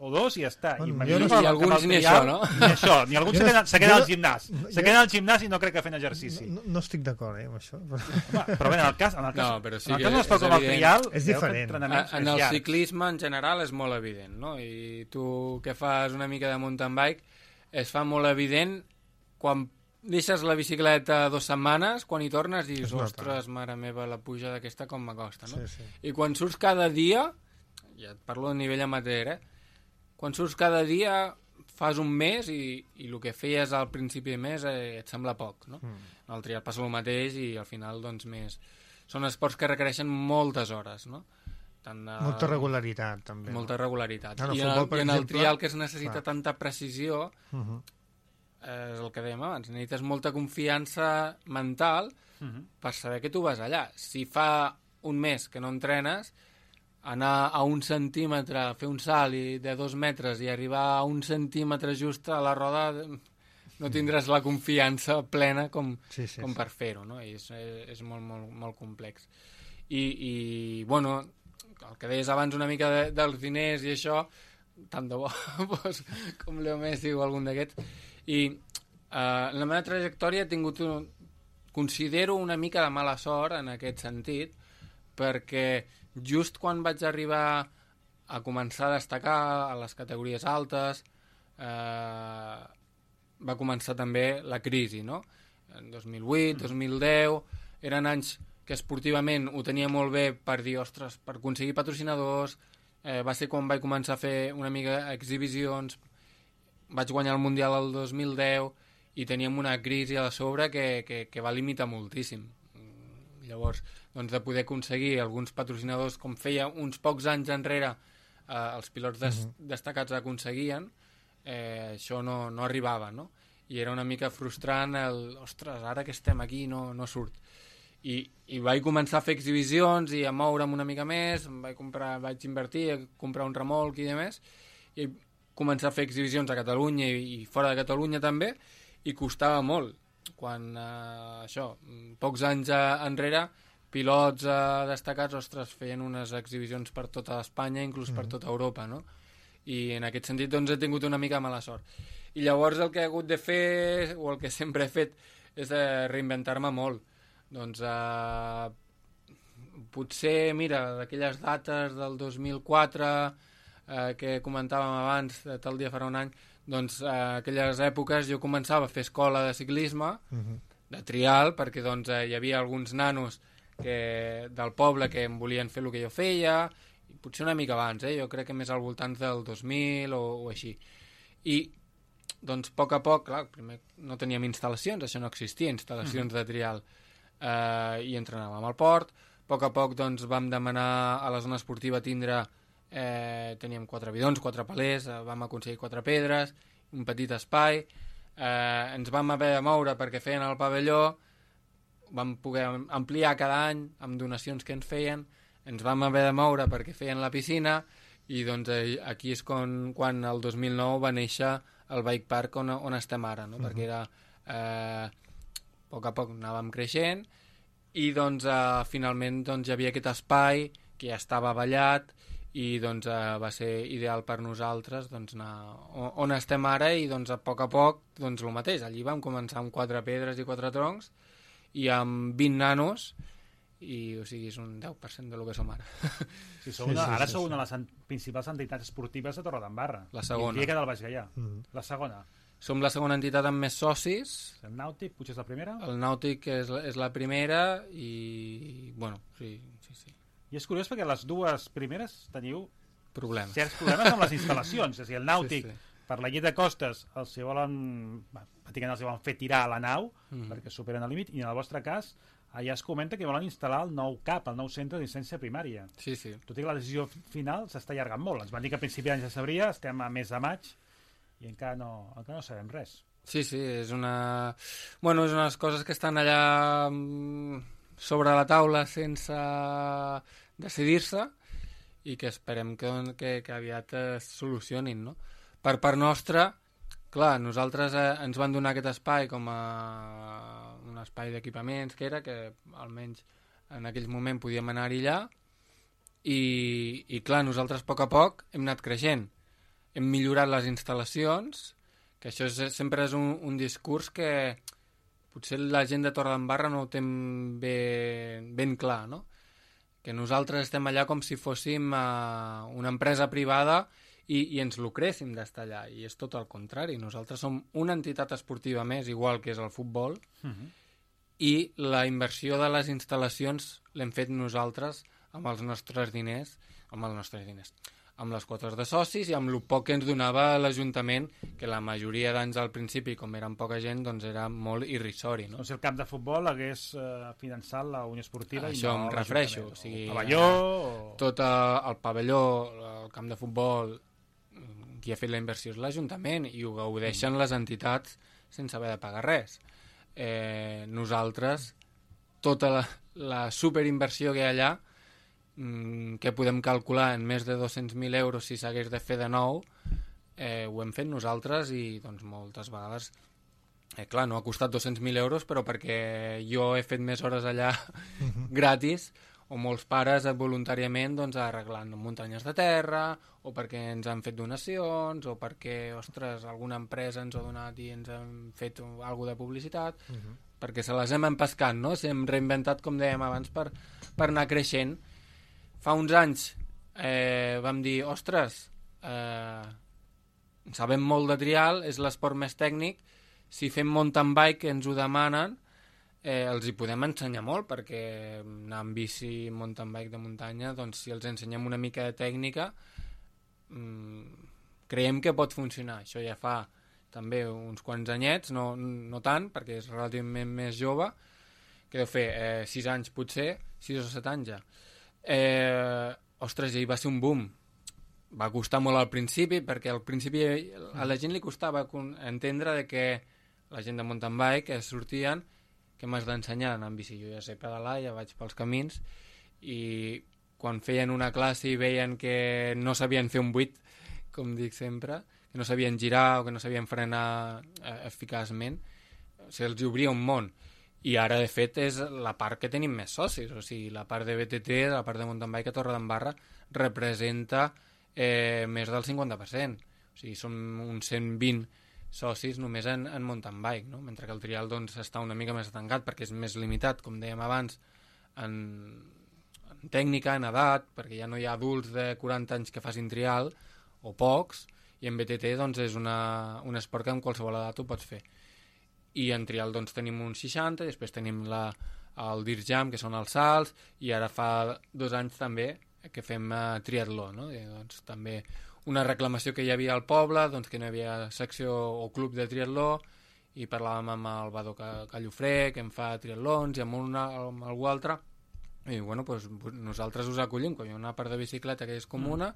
Speaker 4: o 2 i ja està.
Speaker 5: Bueno, I alguns ni això, no?
Speaker 4: Ni alguns se queden al gimnàs. Se queden al gimnàs i no crec que fent exercici.
Speaker 3: No estic d'acord, amb això.
Speaker 4: Però bé, en el cas
Speaker 5: no, però sí
Speaker 4: d'un esport com el trial,
Speaker 3: és diferent.
Speaker 5: En el ciclisme, en general, és molt evident, no? I tu que fas una mica de mountain bike, es fa molt evident quan deixes la bicicleta 2 setmanes, quan hi tornes dius, ostres, mare meva, la puja d'aquesta com m'acosta, no?
Speaker 3: Sí.
Speaker 5: I quan surts cada dia, ja et parlo de nivell amateur, quan surts cada dia fas un mes i el que feies al principi de mes et sembla poc, no? El trial passa el mateix i al final, doncs, més... Són esports que requereixen moltes hores, no?
Speaker 3: Molta regularitat, també.
Speaker 5: Molta regularitat.
Speaker 3: I
Speaker 5: en el trial que es necessita tanta precisió... és el que dèiem abans, necessites molta confiança mental per saber que tu vas allà. Si fa un mes que no entrenes, anar a 1 centímetre, fer un salt de 2 metres i arribar a 1 centímetre just a la roda, no tindràs la confiança plena com per fer-ho, no? I és molt complex. I bueno, el que deies abans una mica dels diners i això, tant de bo com Leo Messi o algun d'aquests. I la meva trajectòria ha tingut considero una mica de mala sort en aquest sentit, perquè just quan vaig arribar a començar a destacar a les categories altes va començar també la crisi, no? En 2008, 2010 eren anys que esportivament ho tenia molt bé per dir, ostres, per aconseguir patrocinadors, va ser quan vaig començar a fer una mica exhibicions, vaig guanyar el Mundial el 2010 i teníem una crisi a sobre que va limitar moltíssim. Llavors, doncs, de poder aconseguir alguns patrocinadors, com feia uns pocs anys enrere els pilots destacats aconseguien, això no arribava, no? I era una mica frustrant ostres, ara que estem aquí no surt. I vaig començar a fer exhibicions i a moure'm una mica més, vaig invertir a comprar un remolc i demés, i començar a fer exhibicions a Catalunya i fora de Catalunya també, i costava molt. Quan, pocs anys enrere, pilots destacats, ostres, feien unes exhibicions per tota Espanya, inclús per tota Europa, no? I en aquest sentit doncs he tingut una mica mala sort. I llavors el que he hagut de fer, o el que sempre he fet, és reinventar-me molt. Doncs potser, mira, d'aquelles dates del 2004 que comentàvem abans, tal dia farà un any, doncs aquelles èpoques jo començava a fer escola de ciclisme, de trial, perquè doncs hi havia alguns nanos del poble que em volien fer el que jo feia, potser una mica abans, jo crec que més al voltant del 2000 o així. I doncs a poc, clar, primer no teníem instal·lacions, això no existia, instal·lacions de trial, i entrenàvem al port. A poc doncs vam demanar a la zona esportiva tindre, teníem 4 bidons, 4 palers, vam aconseguir 4 pedres, un petit espai, ens vam haver de moure perquè feien el pavelló, vam poder ampliar cada any amb donacions que ens feien, ens vam haver de moure perquè feien la piscina, i doncs aquí és quan el 2009 va néixer el Bike Park on estem ara, no? Perquè era a poc anàvem creixent, i doncs finalment doncs, hi havia aquest espai que ja estava ballat, i doncs va ser ideal per nosaltres doncs, anar on estem ara, i doncs a poc doncs el mateix, allí vam començar amb 4 pedres i 4 troncs i amb 20 nanos, i o sigui és un 10% del que som ara.
Speaker 4: Sí, ara sou una de les principals entitats esportives de Torredembarra,
Speaker 5: la segona,
Speaker 4: i que del Baix Gaià. La segona.
Speaker 5: Som la segona entitat amb més socis.
Speaker 4: El Nàutic potser és la primera?
Speaker 5: El Nàutic és la primera, i bueno, sí.
Speaker 4: I és curiós perquè les dues primeres teniu
Speaker 5: certs
Speaker 4: problemes amb les instal·lacions. És a dir, el Nàutic, per la llei de costes, els volen fer tirar a la nau perquè superen el límit, i en el vostre cas allà es comenta que volen instal·lar el nou CAP, el nou centre d'assistència primària.
Speaker 5: Sí.
Speaker 4: Tot i que la decisió final s'està allargant molt. Ens van dir que a principi d'any ja sabria, estem a mes de maig i encara no sabem res.
Speaker 5: Sí, és una... Bueno, és unes coses que estan allà sobre la taula sense decidir-se, i que esperem que aviat es solucionin, no? Per part nostra, clar, nosaltres ens van donar aquest espai com a un espai d'equipaments que almenys en aquell moment podíem anar-hi allà, i clar, nosaltres a poc hem anat creixent, hem millorat les instal·lacions, que això sempre és un discurs que potser la gent de Torredembarra no ho té ben clar, no? Que nosaltres estem allà com si fóssim una empresa privada i ens lucréssim d'estar allà, i és tot el contrari. Nosaltres som una entitat esportiva més, igual que és el futbol, i la inversió de les instal·lacions l'hem fet nosaltres amb els nostres diners, amb les quotes de socis i amb el poc que ens donava l'Ajuntament, que la majoria d'anys al principi, com eren poca gent, doncs era molt irrisori, no?
Speaker 4: Doncs el camp de futbol hagués finançat la Unió Esportiva.
Speaker 5: Això em refereixo. O sigui,
Speaker 4: el pavelló...
Speaker 5: Tot el pavelló, el camp de futbol, qui ha fet la inversió és l'Ajuntament, i ho gaudeixen les entitats sense haver de pagar res. Nosaltres, tota la superinversió que hi ha allà, que podem calcular en més de 200.000 euros si s'hagués de fer de nou, ho hem fet nosaltres, i doncs moltes vegades clar, no ha costat 200.000 euros, però perquè jo he fet més hores allà gratis, o molts pares voluntàriament doncs, arreglant muntanyes de terra, o perquè ens han fet donacions, o perquè, ostres, alguna empresa ens ha donat i ens han fet alguna de publicitat, perquè se les hem empescat, no? S'hem reinventat, com dèiem abans, per anar creixent. Fa uns anys vam dir, ostres, sabem molt de trial, és l'esport més tècnic, si fem mountain bike, que ens ho demanen, els hi podem ensenyar molt, perquè anar amb bici, mountain bike de muntanya, doncs si els ensenyem una mica de tècnica, creiem que pot funcionar. Això ja fa també uns quants anyets, no tant, perquè és relativament més jove, que deu fer 6 anys potser, 6 o 7 anys ja. Ostres, i va ser un boom. Va costar molt al principi, perquè al principi a la gent li costava entendre de que la gent de mountain bike que sortien, que m'has d'ensenyar anar amb bici. Jo ja sé pedalar, ja vaig pels camins, i quan feien una classe i veien que no sabien fer un 8, com dic sempre, no sabien girar o que no sabien frenar eficaçment, se'ls obria un món. I ara, de fet, és la part que tenim més socis. O sigui, la part de BTT, la part de mountain bike a Torredembarra, representa més del 50%. O sigui, són uns 120 socis només en mountain bike, no? Mentre que el trial doncs, està una mica més tancat perquè és més limitat, com dèiem abans, en tècnica, en edat, perquè ja no hi ha adults de 40 anys que facin trial, o pocs, i en BTT doncs, és un esport que amb qualsevol edat ho pots fer. I en trial doncs, tenim uns 60, després tenim el Dirt Jam, que són els salts, i ara fa 2 anys també que fem triatló, no? I, doncs, també una reclamació que hi havia al poble, doncs, que no hi havia secció o club de triatló, i parlàvem amb el Badó Callofré, que em fa triatlons, i amb algú altre, i bueno, doncs, nosaltres us acollim, quan hi ha una part de bicicleta que és comuna,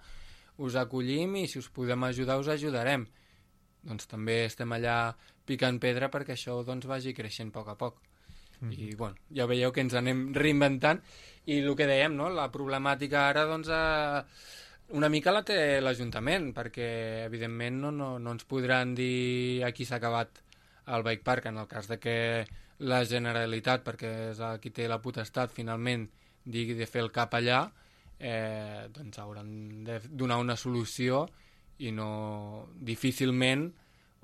Speaker 5: us acollim i si us podem ajudar us ajudarem. Doncs també estem allà picant pedra perquè això doncs, vagi creixent a poc a poc. I bueno, ja veieu que ens anem reinventant i el que dèiem, no? La problemàtica ara doncs, una mica la té l'Ajuntament, perquè evidentment no ens podran dir aquí s'ha acabat el bike park en el cas de que la Generalitat, perquè és qui té la potestat finalment digui de fer el cap allà, doncs hauran de donar una solució i no difícilment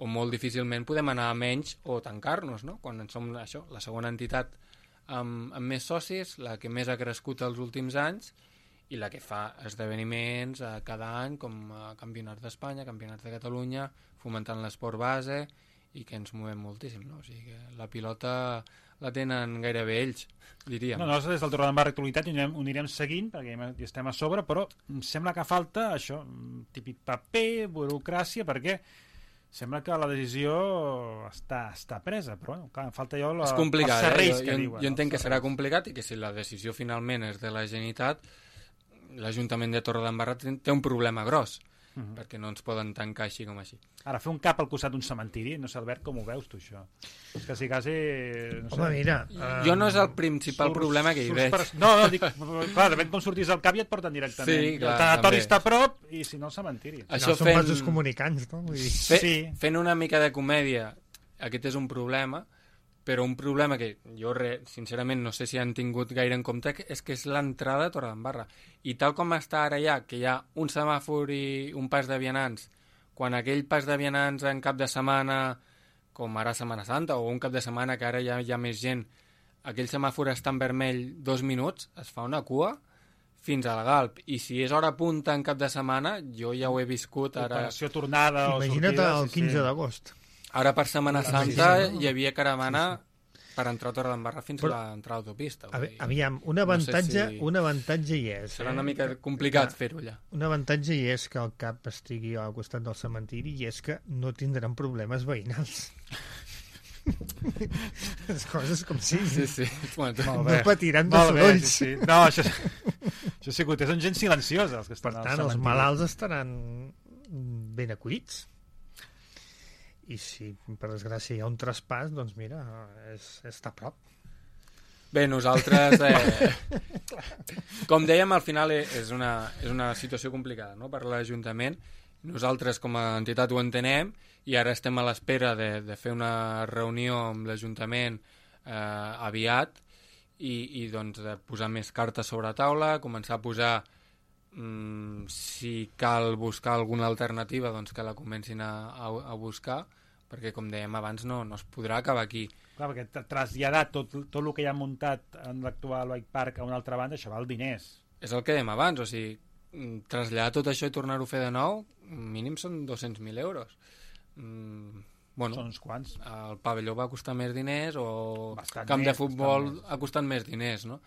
Speaker 5: o molt difícilment podem anar a menys o tancar-nos, no? Quan som això, la segona entitat amb més socis, la que més ha crescut els últims anys i la que fa esdeveniments cada any com campionats d'Espanya, campionats de Catalunya, fomentant l'esport base i que ens movem moltíssim, no? O sigui que la pilota la tenen gairebé ells, diríem.
Speaker 4: No, nosaltres des del Torredembarra Actualitat ho anirem seguint perquè hi estem a sobre, però em sembla que falta això, típic paper, burocràcia, perquè sembla que la decisió està presa, però bueno, clar, falta jo els serveis que diuen.
Speaker 5: Jo entenc que serà complicat i que si la decisió finalment és de la Generalitat, l'Ajuntament de Torredembarra té un problema gros, perquè no ens poden tancar així com així.
Speaker 4: Ara, fer un cap al costat d'un cementiri, no sé, Albert, com ho veus tu, això? És quasi... No sé.
Speaker 3: Home, mira...
Speaker 5: Jo no és el principal problema que hi veig.
Speaker 4: No, dic, clar, depèn com sortis al cap i et porten directament.
Speaker 5: Sí, clar,
Speaker 4: el tanatori està a prop i si no, el cementiri.
Speaker 3: Això són vasos comunicants, no? Vull dir.
Speaker 5: Fent una mica de comèdia, aquest és un problema, però un problema que jo, sincerament, no sé si han tingut gaire en compte, és que és l'entrada a Torredembarra. I tal com està ara ja, que hi ha un semàfor i un pas de vianants, quan aquell pas de vianants en cap de setmana, com ara Setmana Santa, o un cap de setmana que ara ja hi ha més gent, aquell semàfor està en vermell 2 minuts, es fa una cua fins al Galp. I si és hora punta en cap de setmana, jo ja ho he viscut ara...
Speaker 4: Operació tornada o sortida...
Speaker 3: Imagina't el 15 d'agost.
Speaker 5: Ara per Setmana Santa hi havia caravana per entrar a Torredembarra fins a l'entrada a l'autopista.
Speaker 3: Aviam, un avantatge hi és.
Speaker 5: Serà una mica complicat fer-ho allà.
Speaker 3: Un avantatge hi és que el cap estigui al costat del cementiri i és que no tindran problemes veïnals. Les coses com siguin.
Speaker 5: Sí.
Speaker 3: No patiran de sorolls.
Speaker 4: Sí. No, això sí que són gent silenciosa. Els que estan
Speaker 3: per tant, els malalts estaran ben acollits. I si per desgràcia hi ha un traspàs, doncs mira, està a prop.
Speaker 5: Bé, nosaltres, com dèiem, al final és una situació complicada, no?, per l'Ajuntament. Nosaltres com a entitat ho entenem i ara estem a l'espera de fer una reunió amb l'Ajuntament aviat i doncs de posar més cartes sobre la taula, començar a posar si cal buscar alguna alternativa, doncs que la comencin a buscar, perquè, com dèiem abans, no es podrà acabar aquí.
Speaker 4: Clar, perquè traslladar tot el que hi ha muntat en l'actual bike park a una altra banda, això val diners.
Speaker 5: És el que dèiem abans, o sigui, traslladar tot això i tornar-ho a fer de nou, mínim són 200.000 euros. Bueno,
Speaker 4: són uns quants.
Speaker 5: El pavelló va costar més diners o el camp de futbol ha costat més diners, no?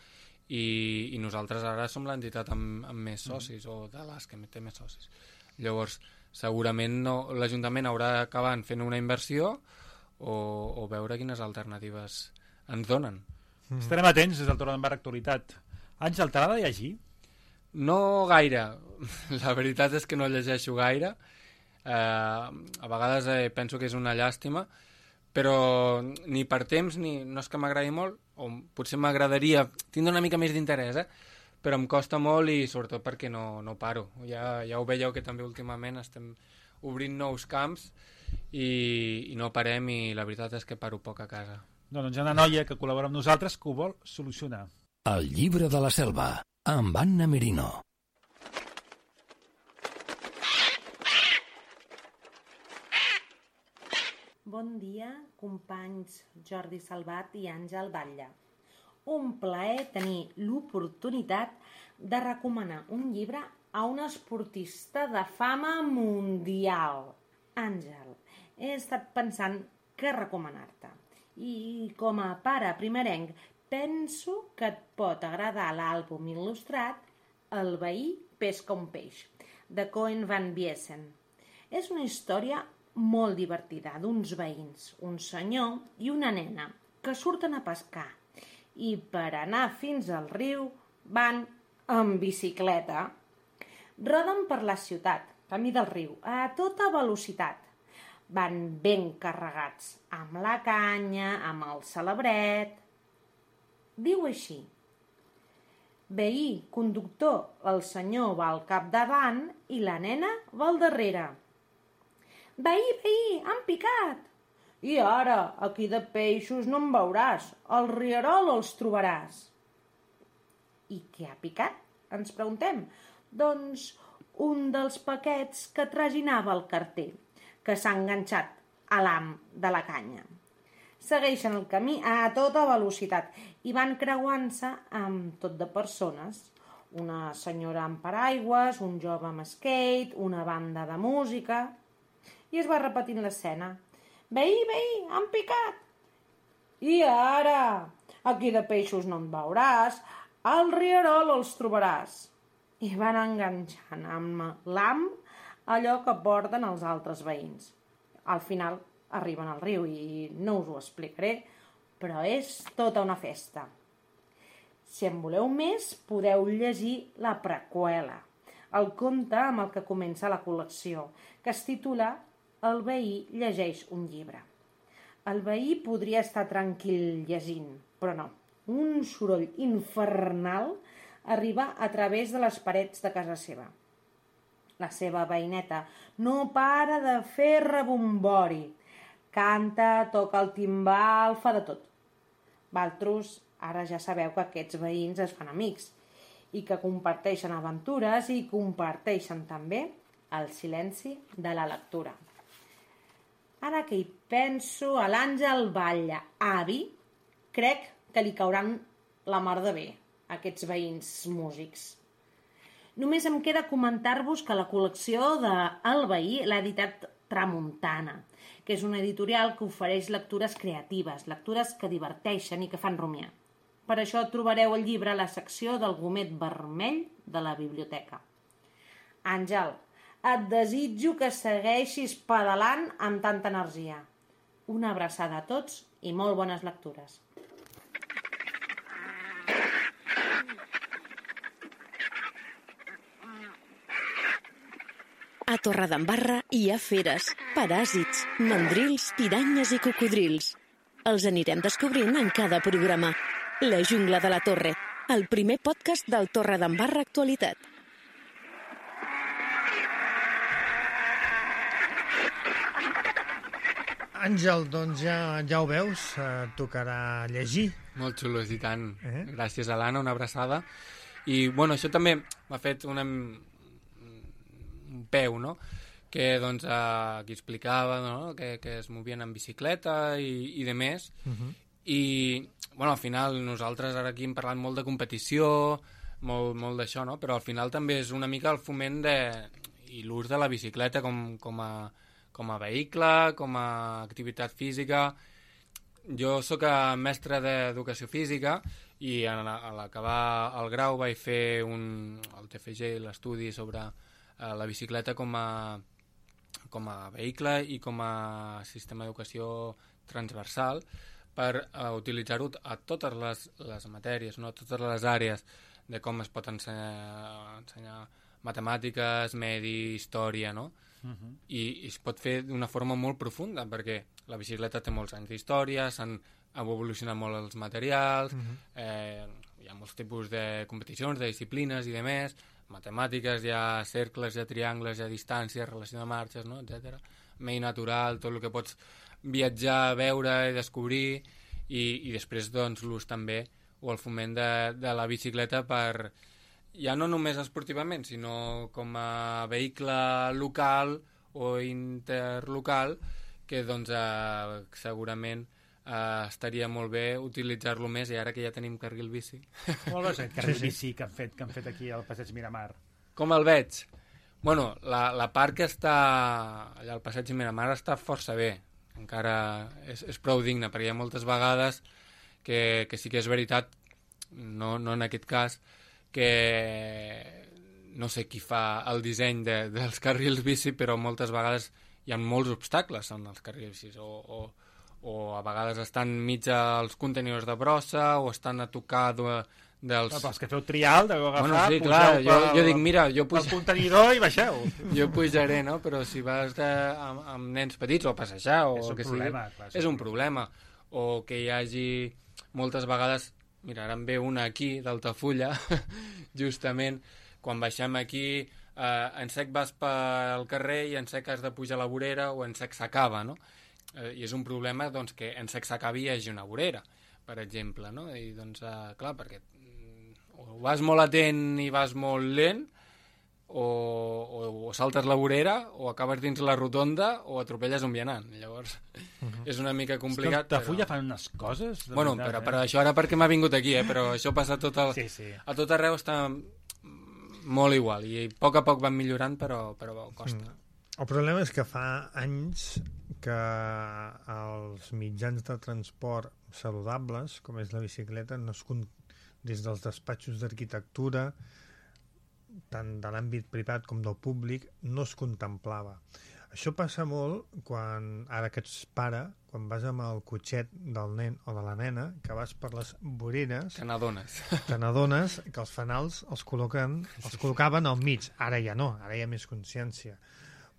Speaker 5: I nosaltres ara som l'entitat amb més socis o de les que té més socis. Llavors, segurament l'Ajuntament haurà d'acabar fent una inversió o veure quines alternatives ens donen.
Speaker 4: Estarem atents des del Torredembarra Actualitat. Àngel, t'agrada llegir?
Speaker 5: No gaire. La veritat és que no llegeixo gaire. A vegades penso que és una llàstima, però ni per temps no és que m'agradi molt, o potser m'agradaria tindre una mica més d'interès, però em costa molt i sobretot perquè no paro. Ja ho veieu que també últimament estem obrint nous camps i no parem, i la veritat és que paro poc a casa.
Speaker 4: Doncs hi ha una noia que col·labora amb nosaltres que ho vol solucionar.
Speaker 7: El llibre de la selva, amb Anna Merino.
Speaker 8: Bon dia, companys Jordi Salvat i Àngel Batlle. Un plaer tenir l'oportunitat de recomanar un llibre a un esportista de fama mundial. Àngel, he estat pensant què recomanar-te. I com a pare primerenc, penso que et pot agradar l'àlbum il·lustrat El veí pesca un peix, de Coen van Biesen. És una història molt divertida d'uns veïns, un senyor i una nena, que surten a pescar i per anar fins al riu van en bicicleta. Roden per la ciutat, camí del riu, a tota velocitat. Van ben carregats, amb la canya, amb el celebret. Diu així: veí, conductor, el senyor va al capdavant i la nena va al darrere. Veí, han picat! I ara, aquí de peixos no en veuràs, al rierol els trobaràs. I què ha picat? Ens preguntem. Doncs un dels paquets que traginava el carter, que s'ha enganxat a l'ham de la canya. Segueixen el camí a tota velocitat i van creuant-se amb tot de persones. Una senyora amb paraigües, un jove amb skate, una banda de música. I es va repetint l'escena. Veí, han picat! I ara, aquí de peixos no en veuràs, al rierol els trobaràs. I van enganxant amb l'ham allò que porten els altres veïns. Al final arriben al riu i no us ho explicaré, però és tota una festa. Si en voleu més, podeu llegir la preqüela, el conte amb el que comença la col·lecció, que es titula El veí llegeix un llibre. El veí podria estar tranquil llegint, però no. Un soroll infernal arriba a través de les parets de casa seva. La seva veïneta no para de fer rebombori. Canta, toca el timbal, fa de tot. Valtros, ara ja sabeu que aquests veïns es fan amics i que comparteixen aventures i comparteixen també el silenci de la lectura. Ara que hi penso, a l'Àngel Batlle, avi, crec que li cauran la mar de bé, aquests veïns músics. Només em queda comentar-vos que la col·lecció de El veí l'ha editat Tramuntana, que és una editorial que ofereix lectures creatives, lectures que diverteixen i que fan rumiar. Per això trobareu el llibre a la secció del gomet vermell de la biblioteca. Àngel, et desitjo que segueixis pedalant amb tanta energia. Una abraçada a tots i molt bones lectures.
Speaker 6: A Torredembarra hi ha feres, paràsits, mandrils, piranyes i cocodrils. Els anirem descobrint en cada programa. La jungla de la Torre, el primer podcast del Torredembarra Actualitat.
Speaker 3: Àngel, doncs ja ho veus, tocarà llegir.
Speaker 5: Molt xulos, i tant. Gràcies a l'Anna, una abraçada. I, bueno, això també m'ha fet un peu, no?, que, doncs, aquí explicava, no?, que es movien en bicicleta i de més. I, bueno, al final nosaltres ara aquí hem parlat molt de competició, molt d'això, no?, però al final també és una mica el foment i l'ús de la bicicleta com a vehicle, com a activitat física. Jo sóc mestre d'educació física i a l'acabar el grau vaig fer el TFG, l'estudi sobre la bicicleta com a vehicle i com a sistema d'educació transversal per utilitzar-ho a totes les matèries, no? A totes les àrees de com es pot ensenyar matemàtiques, medi, història, no? I es pot fer d'una forma molt profunda, perquè la bicicleta té molts anys d'història, s'han evolucionat molt els materials, hi ha molts tipus de competicions, de disciplines i de més, matemàtiques, hi ha cercles, hi ha triangles, hi ha distàncies, relació de marxes, no? etc. Medi natural, tot el que pots viatjar, veure i descobrir, i després doncs, l'ús també o el foment de la bicicleta per, ja no només esportivament, sinó com a vehicle local o interlocal, que doncs, segurament estaria molt bé utilitzar-lo més, i ara que ja tenim carril bici.
Speaker 4: Com el veus, el carril bici que han fet aquí al Passeig Miramar?
Speaker 5: Com el veig? Bueno, la part que està allà al Passeig Miramar està força bé, encara és prou digne, perquè hi ha moltes vegades que sí que és veritat, no en aquest cas, que no sé qui fa el disseny dels carrils bici, però moltes vegades hi ha molts obstacles en els carrils bici, o a vegades estan mig als contenidors de brossa, o estan a tocar dels...
Speaker 4: Però els que feu trial, deveu agafar,
Speaker 5: bueno, sí, clar, jo dic, mira, jo
Speaker 4: el contenidor i baixeu.
Speaker 5: Jo pujaré, no? Però si vas amb nens petits o a passejar o el que sigui, és un problema. O que hi hagi moltes vegades, mira, ara em ve una aquí d'Altafulla, justament, quan baixem aquí, en sec vas pel carrer i en sec has de pujar a la vorera o en sec s'acaba, no? I és un problema doncs, que en sec s'acabi hi hagi una vorera, per exemple, no? I doncs, clar, perquè o vas molt atent i vas molt lent, o saltes la vorera, o acabes dins la rotonda, o atropelles un vianant. Llavors, és una mica complicat.
Speaker 4: És que Altafulla fan unes coses...
Speaker 5: Bueno, veritat, però això ara perquè m'ha vingut aquí, però això passa a tot arreu, està molt igual, i a poc van millorant, però costa.
Speaker 3: El problema és que fa anys que els mitjans de transport saludables, com és la bicicleta, no es des dels despatxos d'arquitectura, tant de l'àmbit privat com del públic, no es contemplava. Això passa molt quan, ara que ets pare, quan vas amb el cotxet del nen o de la nena, que vas per les voreres...
Speaker 5: Te n'adones.
Speaker 3: Te n'adones que els fanals els col·locaven al mig. Ara ja no, ara hi ha més consciència.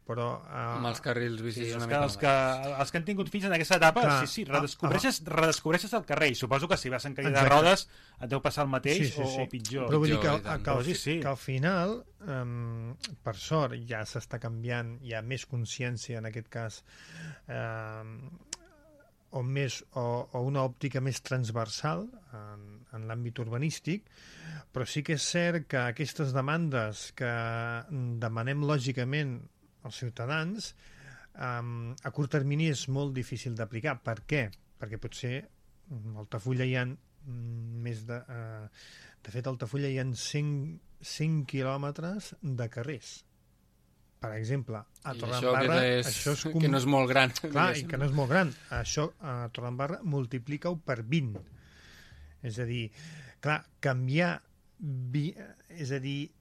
Speaker 3: Però,
Speaker 5: amb els carrils bici
Speaker 4: sí, els que han tingut fills en aquesta etapa, clar, sí, redescobreixes el carrer, i suposo que si vas en cadira de rodes et deu passar el mateix o pitjor.
Speaker 3: Però vull dir que al final, per sort, ja s'està canviant, hi ha més consciència en aquest cas, o una òptica més transversal en l'àmbit urbanístic, però sí que és cert que aquestes demandes que demanem lògicament als ciutadans, a curt termini és molt difícil d'aplicar. Per què? Perquè potser a Altafulla hi ha més de... De fet, a Altafulla hi ha 100 quilòmetres de carrers. Per exemple, a Torredembarra...
Speaker 5: Això que no és molt gran.
Speaker 3: Clar, i que no és molt gran. Això a Torredembarra multiplica-ho per 20. És a dir, clar, canviar... És a dir...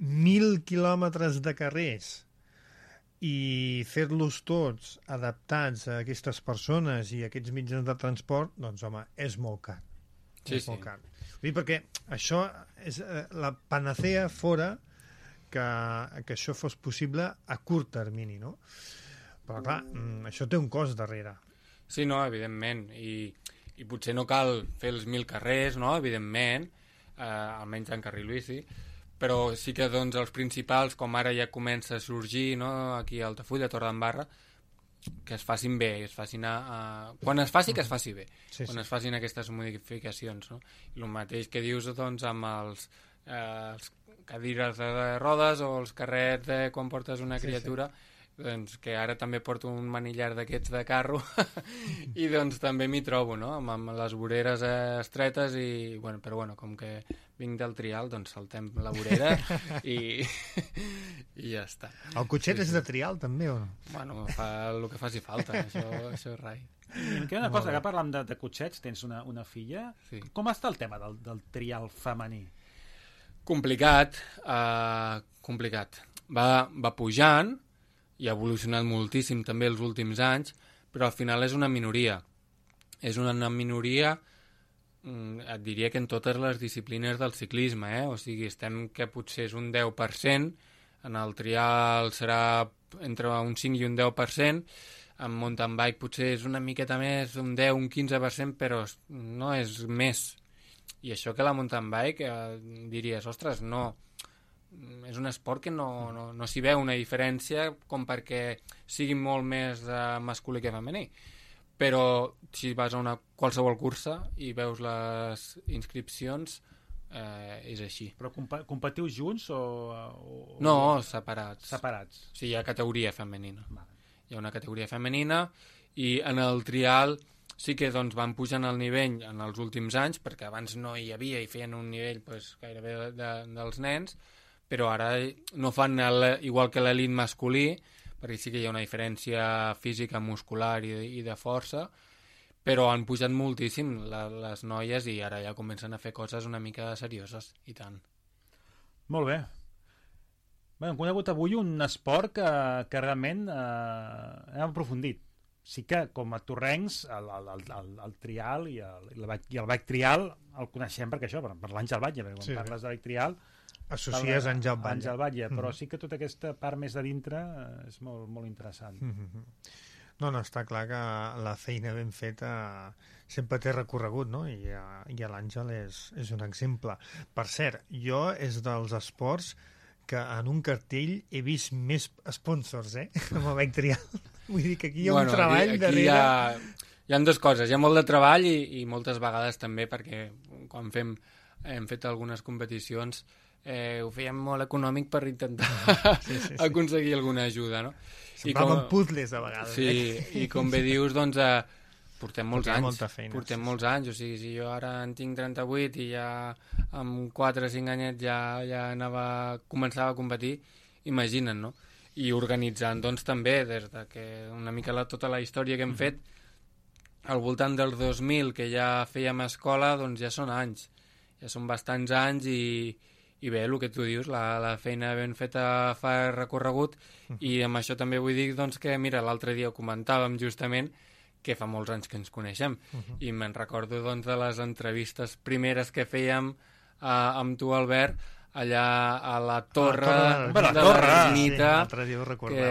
Speaker 3: 1.000 quilòmetres de carrers i fer-los tots adaptats a aquestes persones i a aquests mitjans de transport, doncs, home, és molt car. Molt car. Vull dir, perquè això és la panacea fora que això fos possible a curt termini, no? Però, clar, això té un cost darrere.
Speaker 5: Sí, no, evidentment. I potser no cal fer els 1.000 carrers, no?, evidentment, almenys en carril bici, però sí que doncs, els principals, com ara ja comença a sorgir, no?, aquí a Altafulla, a Torredembarra, que es facin bé, es facin quan es faci, que es faci bé, quan es facin aquestes modificacions, no? I el mateix que dius doncs, amb els cadires de rodes o els carrets quan portes una criatura, doncs, que ara també porto un manillar d'aquests de carro i doncs també m'hi trobo, no?, amb les voreres estretes però bueno, com que vinc del trial, doncs saltem la vorera i ja està.
Speaker 3: El cotxet és de trial també o no?
Speaker 5: Bueno, fa el que faci falta, això és rai.
Speaker 4: I em queda una cosa, que parlant de cotxets, tens una filla.
Speaker 5: Sí.
Speaker 4: Com està el tema del trial femení?
Speaker 5: Complicat. Va pujant, i ha evolucionat moltíssim també els últims anys, però al final és una minoria. És una minoria, et diria que en totes les disciplines del ciclisme, o sigui, estem que potser és un 10%, en el trial serà entre un 5 i un 10%, en mountain bike potser és una miqueta més, un 10, un 15%, però no és més. I això que la mountain bike diries, ostres, no, és un esport que no s'hi veu una diferència com perquè sigui molt més masculí que femení. Però si vas a qualsevol cursa i veus les inscripcions, és així.
Speaker 4: Però competiu junts o...
Speaker 5: No, separats.
Speaker 4: Separats.
Speaker 5: Sí, hi ha categoria femenina.
Speaker 4: Vale.
Speaker 5: Hi ha una categoria femenina i en el trial sí que doncs, van pujant el nivell en els últims anys, perquè abans no hi havia i feien un nivell pues, gairebé dels nens, però ara no fan igual que l'elit masculí, perquè sí que hi ha una diferència física, muscular i de força, però han pujat moltíssim les noies i ara ja comencen a fer coses una mica serioses, i tant.
Speaker 4: Molt bé. Bé, hem conegut avui un esport que realment hem aprofundit. Sí que, com a torrencs, el trial i el bike trial el coneixem perquè això, per l'Àngel Batlle, perquè quan parles de bike trial
Speaker 3: associes
Speaker 4: Àngel Batlle, però sí que tota aquesta part més de dintre és molt, molt interessant.
Speaker 3: No, està clar que la feina ben feta sempre té recorregut, no? I l'Àngel és un exemple. Per cert, jo és dels esports que en un cartell he vist més sponsors, amb el bike trial. Vull dir que aquí hi ha un treball
Speaker 5: aquí
Speaker 3: darrere.
Speaker 5: Hi ha dues coses. Hi ha molt de treball i moltes vegades també, perquè quan hem fet algunes competicions ho fèiem molt econòmic per intentar aconseguir alguna ajuda, no?
Speaker 3: Semblaven puzzles a vegades.
Speaker 5: Sí, i com bé dius, doncs portem molts anys.
Speaker 3: Molta feina,
Speaker 5: portem molts anys, o sigui, si jo ara en tinc 38 i ja amb 4 o 5 anyets ja començava a competir, imagina't, no? I organitzant, doncs, també, des de que una mica tota la història que hem fet, al voltant del 2000, que ja fèiem escola, doncs ja són anys. Ja són bastants anys i bé, el que tu dius, la feina ben feta fa recorregut, i amb això també vull dir, doncs, que, mira, l'altre dia ho comentàvem justament, que fa molts anys que ens coneixem, i me'n recordo, doncs, de les entrevistes primeres que fèiem amb tu, Albert, allà a la torre de la Ermita, que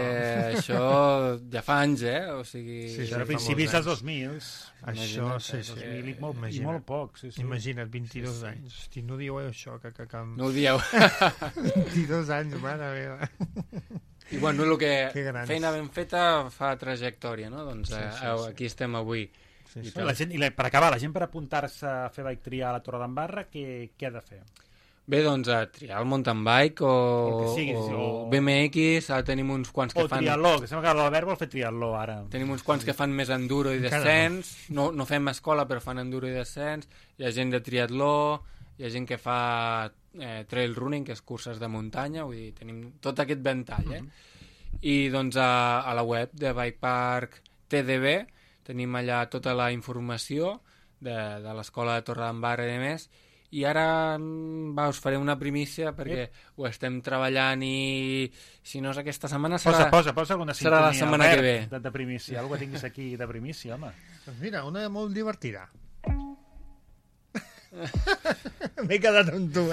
Speaker 5: això ja fa anys, o sigui...
Speaker 4: Sí, a principis dels 2000.
Speaker 3: Això, sí.
Speaker 4: I molt poc, sí.
Speaker 3: Imagina't, 22 anys. Hosti, no dieu això, que...
Speaker 5: No ho dieu.
Speaker 3: 22 anys, mare meva.
Speaker 5: I bueno, el que feina ben feta fa trajectòria, no? Doncs aquí estem avui.
Speaker 4: Per acabar, la gent per apuntar-se a fer bike trial a la Torre d'Embarra, què ha de fer?
Speaker 5: Bé, doncs a triar el mountain bike o BMX, ara tenim uns quants que fan...
Speaker 4: O triatló, que sembla que l'Albert vol fer triatló ara.
Speaker 5: Tenim uns quants que fan més enduro i descens, no fem escola però fan enduro i descens, hi ha gent de triatló, hi ha gent que fa trail running, que és curses de muntanya, vull dir, tenim tot aquest ventall, I doncs a la web de Bike Park TDB tenim allà tota la informació de l'escola de Torredembarra i més, i ara us faré una primícia perquè ho estem treballant i si no és aquesta setmana serà
Speaker 4: alguna
Speaker 5: serà la setmana que ve.
Speaker 4: De primícia, algú que tinguis aquí de primícia, home.
Speaker 3: Doncs mira, una molt divertida. M'he quedat amb tu,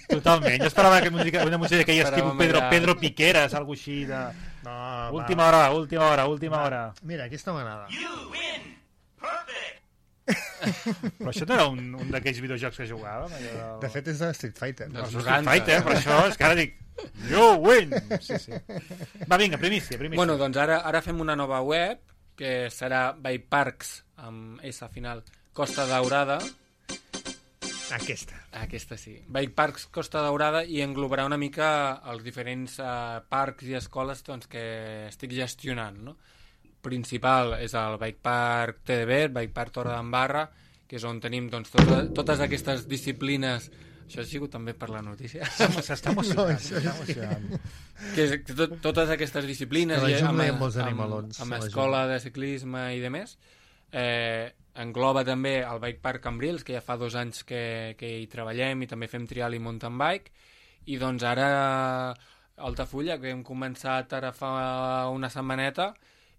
Speaker 4: Totalment, jo esperava una música que hi estiu Pedro Piqueras, alguna així de...
Speaker 3: No,
Speaker 4: última hora.
Speaker 3: Mira, aquesta m'agrada.
Speaker 2: You win! Perfect!
Speaker 4: Però això no era un d'aquells videojocs que jugàvem?
Speaker 3: De fet és de Street Fighter.
Speaker 4: Street Fighter, per això és que ara dic you win! Sí. Va, vinga, primícia.
Speaker 5: Bueno, doncs ara fem una nova web que serà Bike Parks amb S final Costa Daurada. Aquesta sí. Bike Parks Costa Daurada, i englobarà una mica els diferents parcs i escoles doncs, que estic gestionant, no? Principal és el Bike Park TDB, el Bike Park Torredembarra, que és on tenim doncs, totes aquestes disciplines. Això ha sigut també per la notícia.
Speaker 4: S'està emocionant.
Speaker 5: Totes aquestes disciplines amb escola de ciclisme i de més. Engloba també el Bike Park Cambrils, que ja fa 2 anys que hi treballem i també fem trial i mountain bike, i doncs ara Altafulla, que hem començat ara fa una setmaneta,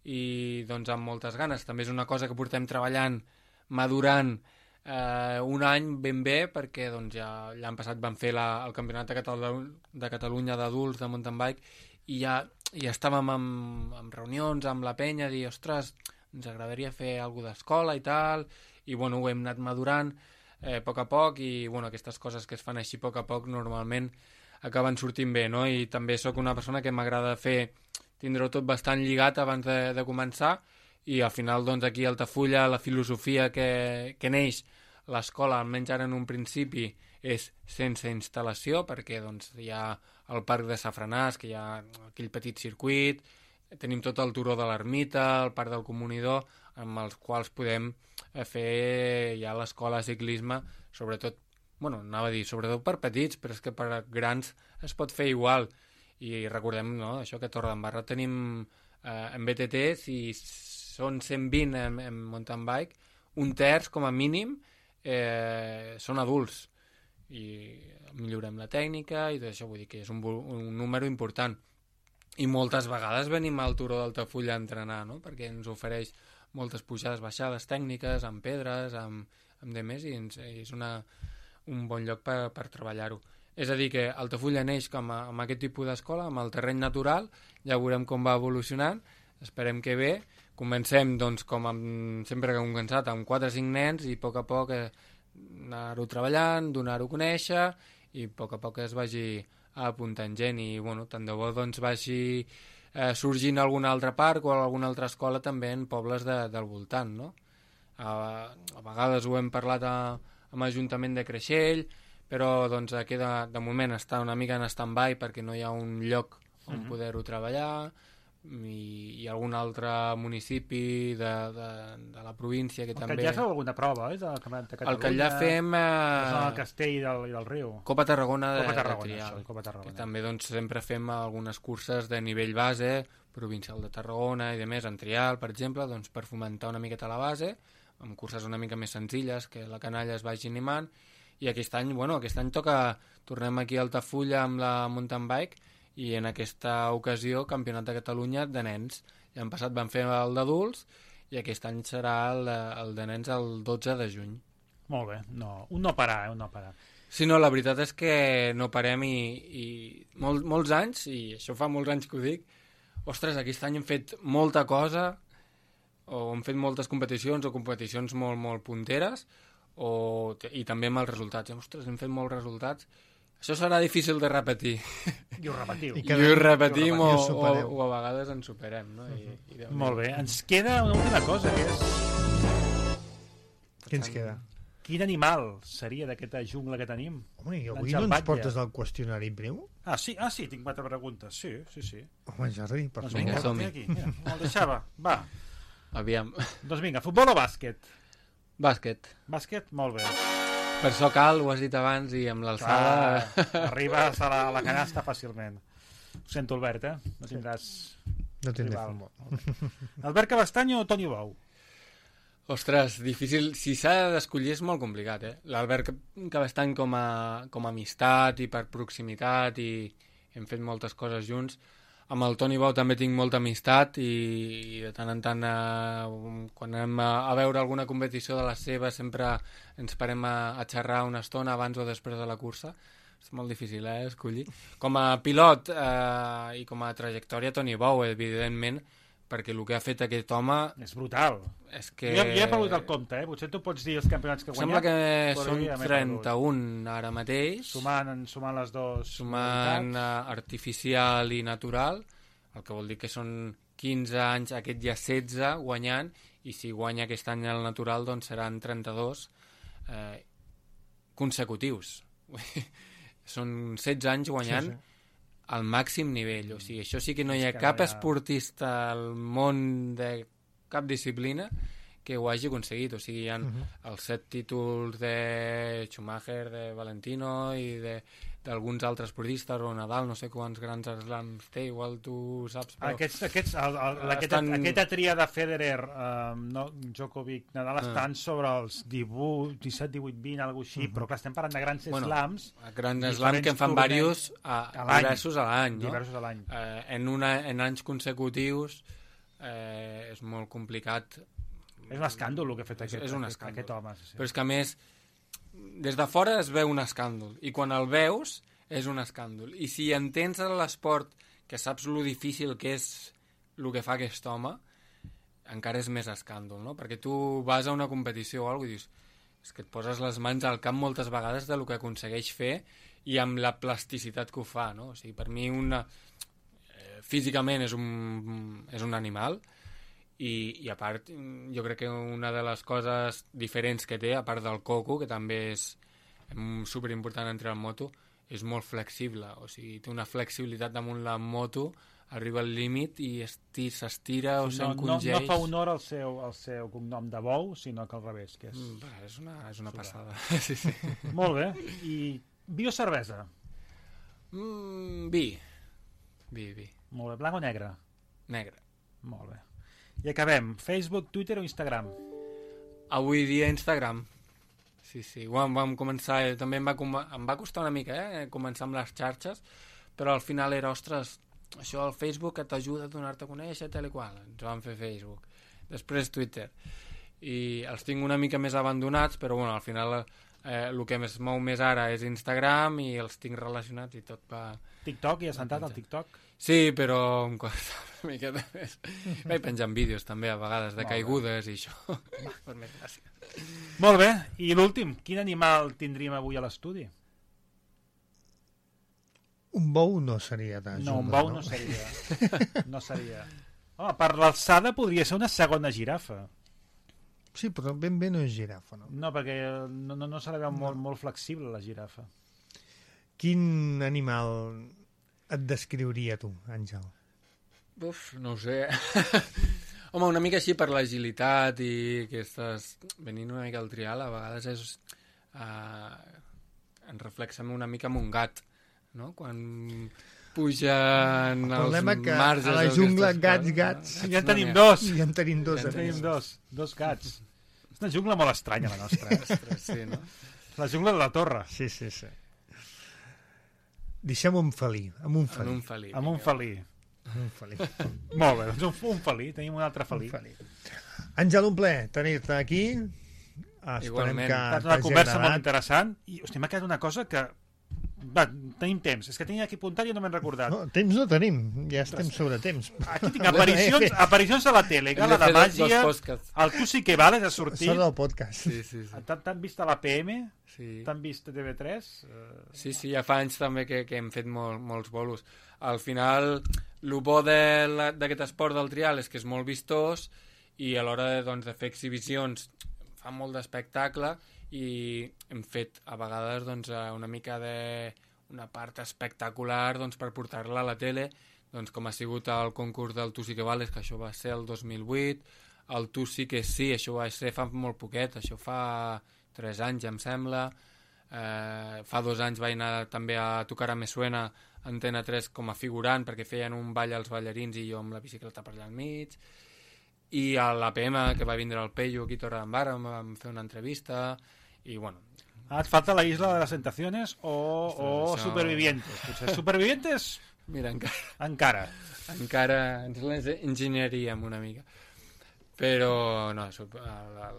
Speaker 5: i doncs amb moltes ganes. També és una cosa que portem treballant, madurant un any ben bé, perquè doncs, ja l'any passat vam fer el campionat de Catalunya d'adults de mountain bike, i ja estàvem en reunions amb la penya, dir, ostres, ens agradaria fer alguna d'escola i tal, i bueno, ho hem anat madurant. a poc a poc, i aquestes coses que es fan així a poc a poc normalment acaben sortint bé, no? I també sóc una persona que m'agrada tindre-ho tot bastant lligat abans de començar, i al final aquí a Altafulla la filosofia que neix l'escola, almenys ara en un principi, és sense instal·lació, perquè hi ha el parc de Safranàs, que hi ha aquell petit circuit, tenim tot el turó de l'Ermita, el parc del Comunidor, amb els quals podem fer ja l'escola de ciclisme, sobretot, sobretot per petits, però és que per grans es pot fer igual. I recordem, no?, això, que a Torredembarra tenim en BTT, si són 120 en mountain bike, un terç, com a mínim, són adults, i millorem la tècnica i tot això, vull dir que és un número important. I moltes vegades venim al Turó d'Altafulla a entrenar, no?, perquè ens ofereix moltes pujades, baixades tècniques, amb pedres, amb demés, i és un bon lloc per treballar-ho. És a dir, que Altafulla neix amb aquest tipus d'escola, amb el terreny natural, ja veurem com va evolucionant, esperem que bé. Comencem, com sempre que hem començat, amb 4 o 5 nens, i a poc anar-ho treballant, donar-ho a conèixer, i a poc es vagi apuntant gent, i tant de bo vagi sorgint algun altre parc o alguna altra escola també en pobles del voltant, no? A vegades ho hem parlat amb l'Ajuntament de Creixell, però aquí de moment està una mica en stand-by perquè no hi ha un lloc on poder-ho treballar, i algun altre municipi de la província que també...
Speaker 4: El Catllà feu alguna prova, del Campionat de Catalunya?
Speaker 5: El Catllà fem...
Speaker 4: El Castell i del Riu.
Speaker 5: Copa Tarragona de
Speaker 4: Trial. Copa Tarragona.
Speaker 5: Que també sempre fem algunes curses de nivell base, provincial de Tarragona i de més, en Trial, per exemple, per fomentar una miqueta la base, amb curses una mica més senzilles, que la canalla es vagi animant, i aquest any tornem aquí a Altafulla amb la mountain bike, i en aquesta ocasió Campionat de Catalunya de nens. L'any passat vam fer el d'adults, i aquest any serà el de nens el 12 de juny.
Speaker 4: Molt bé, un no parar.
Speaker 5: Sí, no, la veritat és que no parem, i molts anys, i això fa molts anys que ho dic, ostres, aquest any hem fet molta cosa, o hem fet moltes competicions, o competicions molt, molt punteres, i també amb els resultats. Ostres, hem fet molts resultats. Això serà difícil de repetir.
Speaker 4: I ho repetiu.
Speaker 5: I ho repetim, o a vegades ens superem, no?
Speaker 4: Molt bé. Ens queda una última cosa, que és...
Speaker 3: Què ens queda?
Speaker 4: Quin animal seria d'aquesta jungla que tenim?
Speaker 3: Home, i avui no ens portes el qüestionari breu?
Speaker 4: Sí, tinc 4 preguntes. Sí.
Speaker 3: Home, Jordi, per favor.
Speaker 5: Vinga, som-hi.
Speaker 4: El deixava. Va.
Speaker 5: Aviam.
Speaker 4: Doncs vinga, futbol o bàsquet?
Speaker 5: Bàsquet.
Speaker 4: Bàsquet? Molt bé.
Speaker 5: Per so cal, ho has dit abans, i amb l'alçada...
Speaker 4: Arribes a la canasta fàcilment. Ho sento, Albert, No tindràs...
Speaker 3: No tindré futbol.
Speaker 4: Albert Cabestany o Toni Bou?
Speaker 5: Ostres, difícil. Si s'ha d'escollir és molt complicat, L'Albert Cabestany com a amistat i per proximitat, i hem fet moltes coses junts. Amb el Toni Bou també tinc molta amistat, i de tant en tant, quan anem a veure alguna competició de les seves, sempre ens parem a xerrar una estona abans o després de la cursa. És molt difícil, escollir. Com a pilot i com a trajectòria, Toni Bou, evidentment, perquè el que ha fet aquest home...
Speaker 4: És brutal.
Speaker 5: És que...
Speaker 4: Jo he perdut el compte, Potser tu pots dir els campionats que ha guanyat.
Speaker 5: Sembla que són 31 ara mateix.
Speaker 4: Sumant les dues...
Speaker 5: Sumant artificial i natural, el que vol dir que són 15 anys, aquest ja 16 guanyant, i si guanya aquest any el natural, doncs seran 32 consecutius. Són 16 anys guanyant al màxim nivell. O sigui, això sí que no hi ha cap esportista al món de cap disciplina que ho hagi aconseguit. O sigui, hi ha els 7 títols de Schumacher, de Valentino i d'alguns altres esportistes, o Nadal, no sé quants grans slams té, igual tu saps. Però...
Speaker 4: Aquesta tria de Federer, Djokovic, Nadal, estan sobre els 18, 17, 18, 20, alguna cosa així, però clar, estem parlant de grans slams.
Speaker 5: Grans slams que en fan diversos a l'any.
Speaker 4: Diversos a l'any.
Speaker 5: En anys consecutius és molt complicat.
Speaker 4: És un escàndol el que ha fet aquest home.
Speaker 5: Però és que, a més, des de fora es veu un escàndol, i quan el veus és un escàndol. I si entens l'esport, que saps lo difícil que és el que fa aquest home, encara és més escàndol, no? Perquè tu vas a una competició o alguna cosa i dius, és que et poses les mans al cap moltes vegades del que aconsegueix fer i amb la plasticitat que ho fa, no? O sigui, per mi físicament és un animal i a part jo crec que una de les coses diferents que té, a part del coco, que també és superimportant entre el moto, és molt flexible, o sigui, té una flexibilitat damunt la moto, arriba al límit i s'estira o s'encongeix.
Speaker 4: No fa honor al seu cognom de bou, sinó que al revés. Que
Speaker 5: és una passada. Sí.
Speaker 4: Molt bé. I vi o cervesa?
Speaker 5: Vi.
Speaker 4: Molt bé. Blanc o negre?
Speaker 5: Negre.
Speaker 4: Molt bé. I acabem. Facebook, Twitter o Instagram?
Speaker 5: Avui dia Instagram. Sí. Vam començar, també em va costar una mica, començar amb les xarxes, però al final era, ostres, això al Facebook t'ajuda a donar-te a conèixer, tal i qual. Ens vam fer Facebook. Després Twitter. I els tinc una mica més abandonats, però bueno, al final el que es mou més ara és Instagram i els tinc relacionats i tot va...
Speaker 4: TikTok, hi has entrat al TikTok?
Speaker 5: Sí, però em costa una miqueta més. Vaig penjant vídeos també a vegades de caigudes i això. Per més gràcia.
Speaker 4: Molt bé, i l'últim, quin animal tindríem avui a l'estudi?
Speaker 3: Un bou no seria de jungla,
Speaker 4: no? Un bou no seria. No seria. Home, per l'alçada podria ser una segona girafa.
Speaker 3: Sí, però ben bé no és girafa, no?
Speaker 4: No, perquè no se la veu molt flexible, la girafa.
Speaker 3: Quin animal et descriuria tu, Àngel?
Speaker 5: Uf, no ho sé. Home, una mica així per l'agilitat i que estàs venint una mica al trial, a vegades és... en reflexa una mica amb un gat, no? Quan pugen els marges...
Speaker 3: A la jungla, gats...
Speaker 4: Ja en tenim dos.
Speaker 3: Ja en tenim
Speaker 4: dos gats. És una jungla molt estranya, la nostra.
Speaker 5: Ostres, sí, no?
Speaker 4: La jungla de la Torre.
Speaker 3: Sí. Deixem un felí. Amb un felí.
Speaker 4: Molt bé, doncs un felí. Tenim un altre felí.
Speaker 3: Àngel, un plaer tenir-te aquí. Esperem que
Speaker 4: ha estat una conversa molt interessant. I, hosti, m'ha quedat una cosa que... Va, tenim temps. És que tenia aquí apuntat i no m'he recordat.
Speaker 3: No, temps no tenim. Ja estem sobre temps.
Speaker 4: Aquí tinc aparicions a la tele, gala de màgia, el Tu sí que vales a sortir.
Speaker 3: Sort del podcast.
Speaker 5: Sí.
Speaker 4: T'han vist a la PM?
Speaker 5: Sí.
Speaker 4: T'han vist a TV3?
Speaker 5: Sí, ja fa anys també que hem fet molts bolos. Al final, el bo d'aquest esport del trial és que és molt vistós i a l'hora de fer exhibicions fa molt d'espectacle i hem fet a vegades una mica una part espectacular per portar-la a la tele, com ha sigut el concurs del Tu sí que vales, que això va ser el 2008, el Tu sí que sí, això va ser fa molt poquet, això fa 3 anys em sembla, fa 2 anys vaig anar també a Tocar a Me Suena Antena 3 com a figurant perquè feien un ball als ballarins i jo amb la bicicleta per allà al mig, i a l'APM que va vindre al Peyu aquí a Torredembarra vam fer una entrevista i bueno...
Speaker 4: Et falta la Isla de las Tentaciones o això... Supervivientes. Potser Supervivientes?
Speaker 5: Mira,
Speaker 4: encara
Speaker 5: ens les enginyeríem una mica, però no,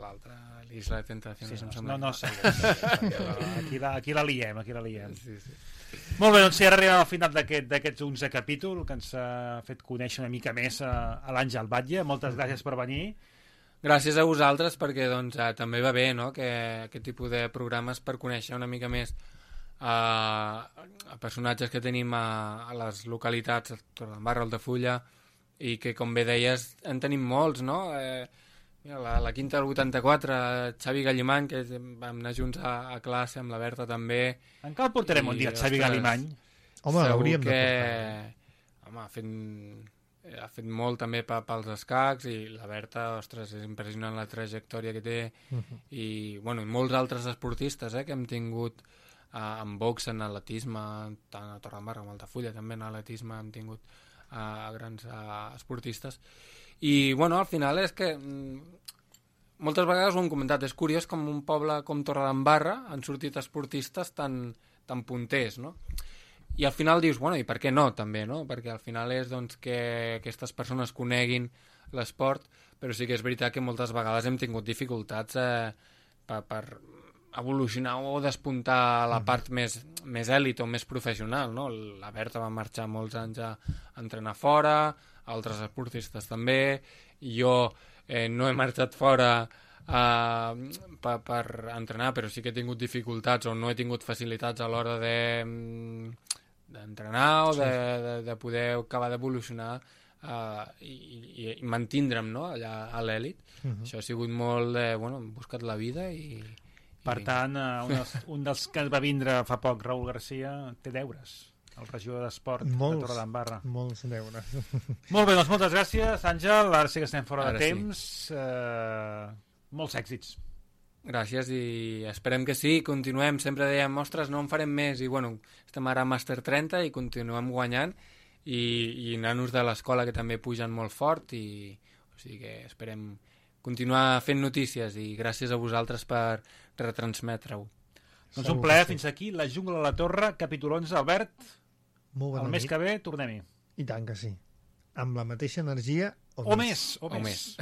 Speaker 5: l'altra, l'Isla de Tentaciones
Speaker 4: no sé. Aquí la liem.
Speaker 5: Sí.
Speaker 4: Molt bé, doncs si ara arribem al final d'aquests 11 capítols que ens ha fet conèixer una mica més a l'Àngel Batlle. Moltes gràcies per venir.
Speaker 5: Gràcies a vosaltres perquè també va bé, no?, que aquest tipus de programes per conèixer una mica més a personatges que tenim a les localitats, a Torredembarra, Altafulla, i que, com bé deies, en tenim molts, no? La Quinta del 84, Xavi Gallimany, que vam anar junts a classe amb la Berta també.
Speaker 4: Encara el portarem un dia, Xavi Gallimany.
Speaker 3: Home, l'hauríem de portar.
Speaker 5: Home, ha fet molt també pels escacs i la Berta, ostres, és impressionant la trajectòria que té i molts altres esportistes que hem tingut en box, en atletisme, tant a Torredembarra com a Altafulla, també en atletisme hem tingut grans esportistes. I, al final és que moltes vegades ho hem comentat, és curiós com un poble com Torredembarra han sortit esportistes tan punters, no? I al final dius, i per què no, també, no? Perquè al final és que aquestes persones coneguin l'esport, però sí que és veritat que moltes vegades hem tingut dificultats per evolucionar o despuntar la part més èlit o més professional, no? La Berta va marxar molts anys a entrenar fora, altres esportistes també, i jo no he marxat fora per entrenar, però sí que he tingut dificultats o no he tingut facilitats a l'hora d'entrenar o de poder acabar d'evolucionar i mantindre'm, no?, allà a l'èlit. Això ha sigut molt de, bueno, hem buscat la vida i...
Speaker 4: Per tant, un dels que va vindre fa poc, Raül Garcia, té deures, el regidor d'Esport de Torredembarra.
Speaker 3: Molts deures.
Speaker 4: Molt bé, doncs moltes gràcies, Àngel. Ara sí que estem fora de temps. Molts èxits.
Speaker 5: Gràcies i esperem que sí, continuem. Sempre dèiem, ostres, no en farem més. I bueno, estem ara a Màster 30 i continuem guanyant i nanos de l'escola que també pugen molt fort o sigui que esperem continuar fent notícies i gràcies a vosaltres per retransmetre-ho.
Speaker 4: Doncs un plaer, fins aquí La jungla de la Torre, capítol 11. Albert, el mes que ve tornem-hi.
Speaker 3: I tant que sí. Amb la mateixa energia
Speaker 4: o més. O més.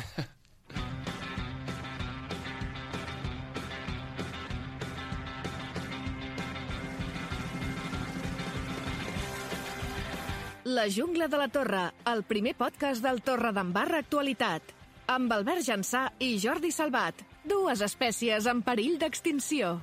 Speaker 1: La jungla de la Torre, el primer podcast del Torredembarra Actualitat, amb Albert Jansà i Jordi Salvat, dues espècies en perill d'extinció.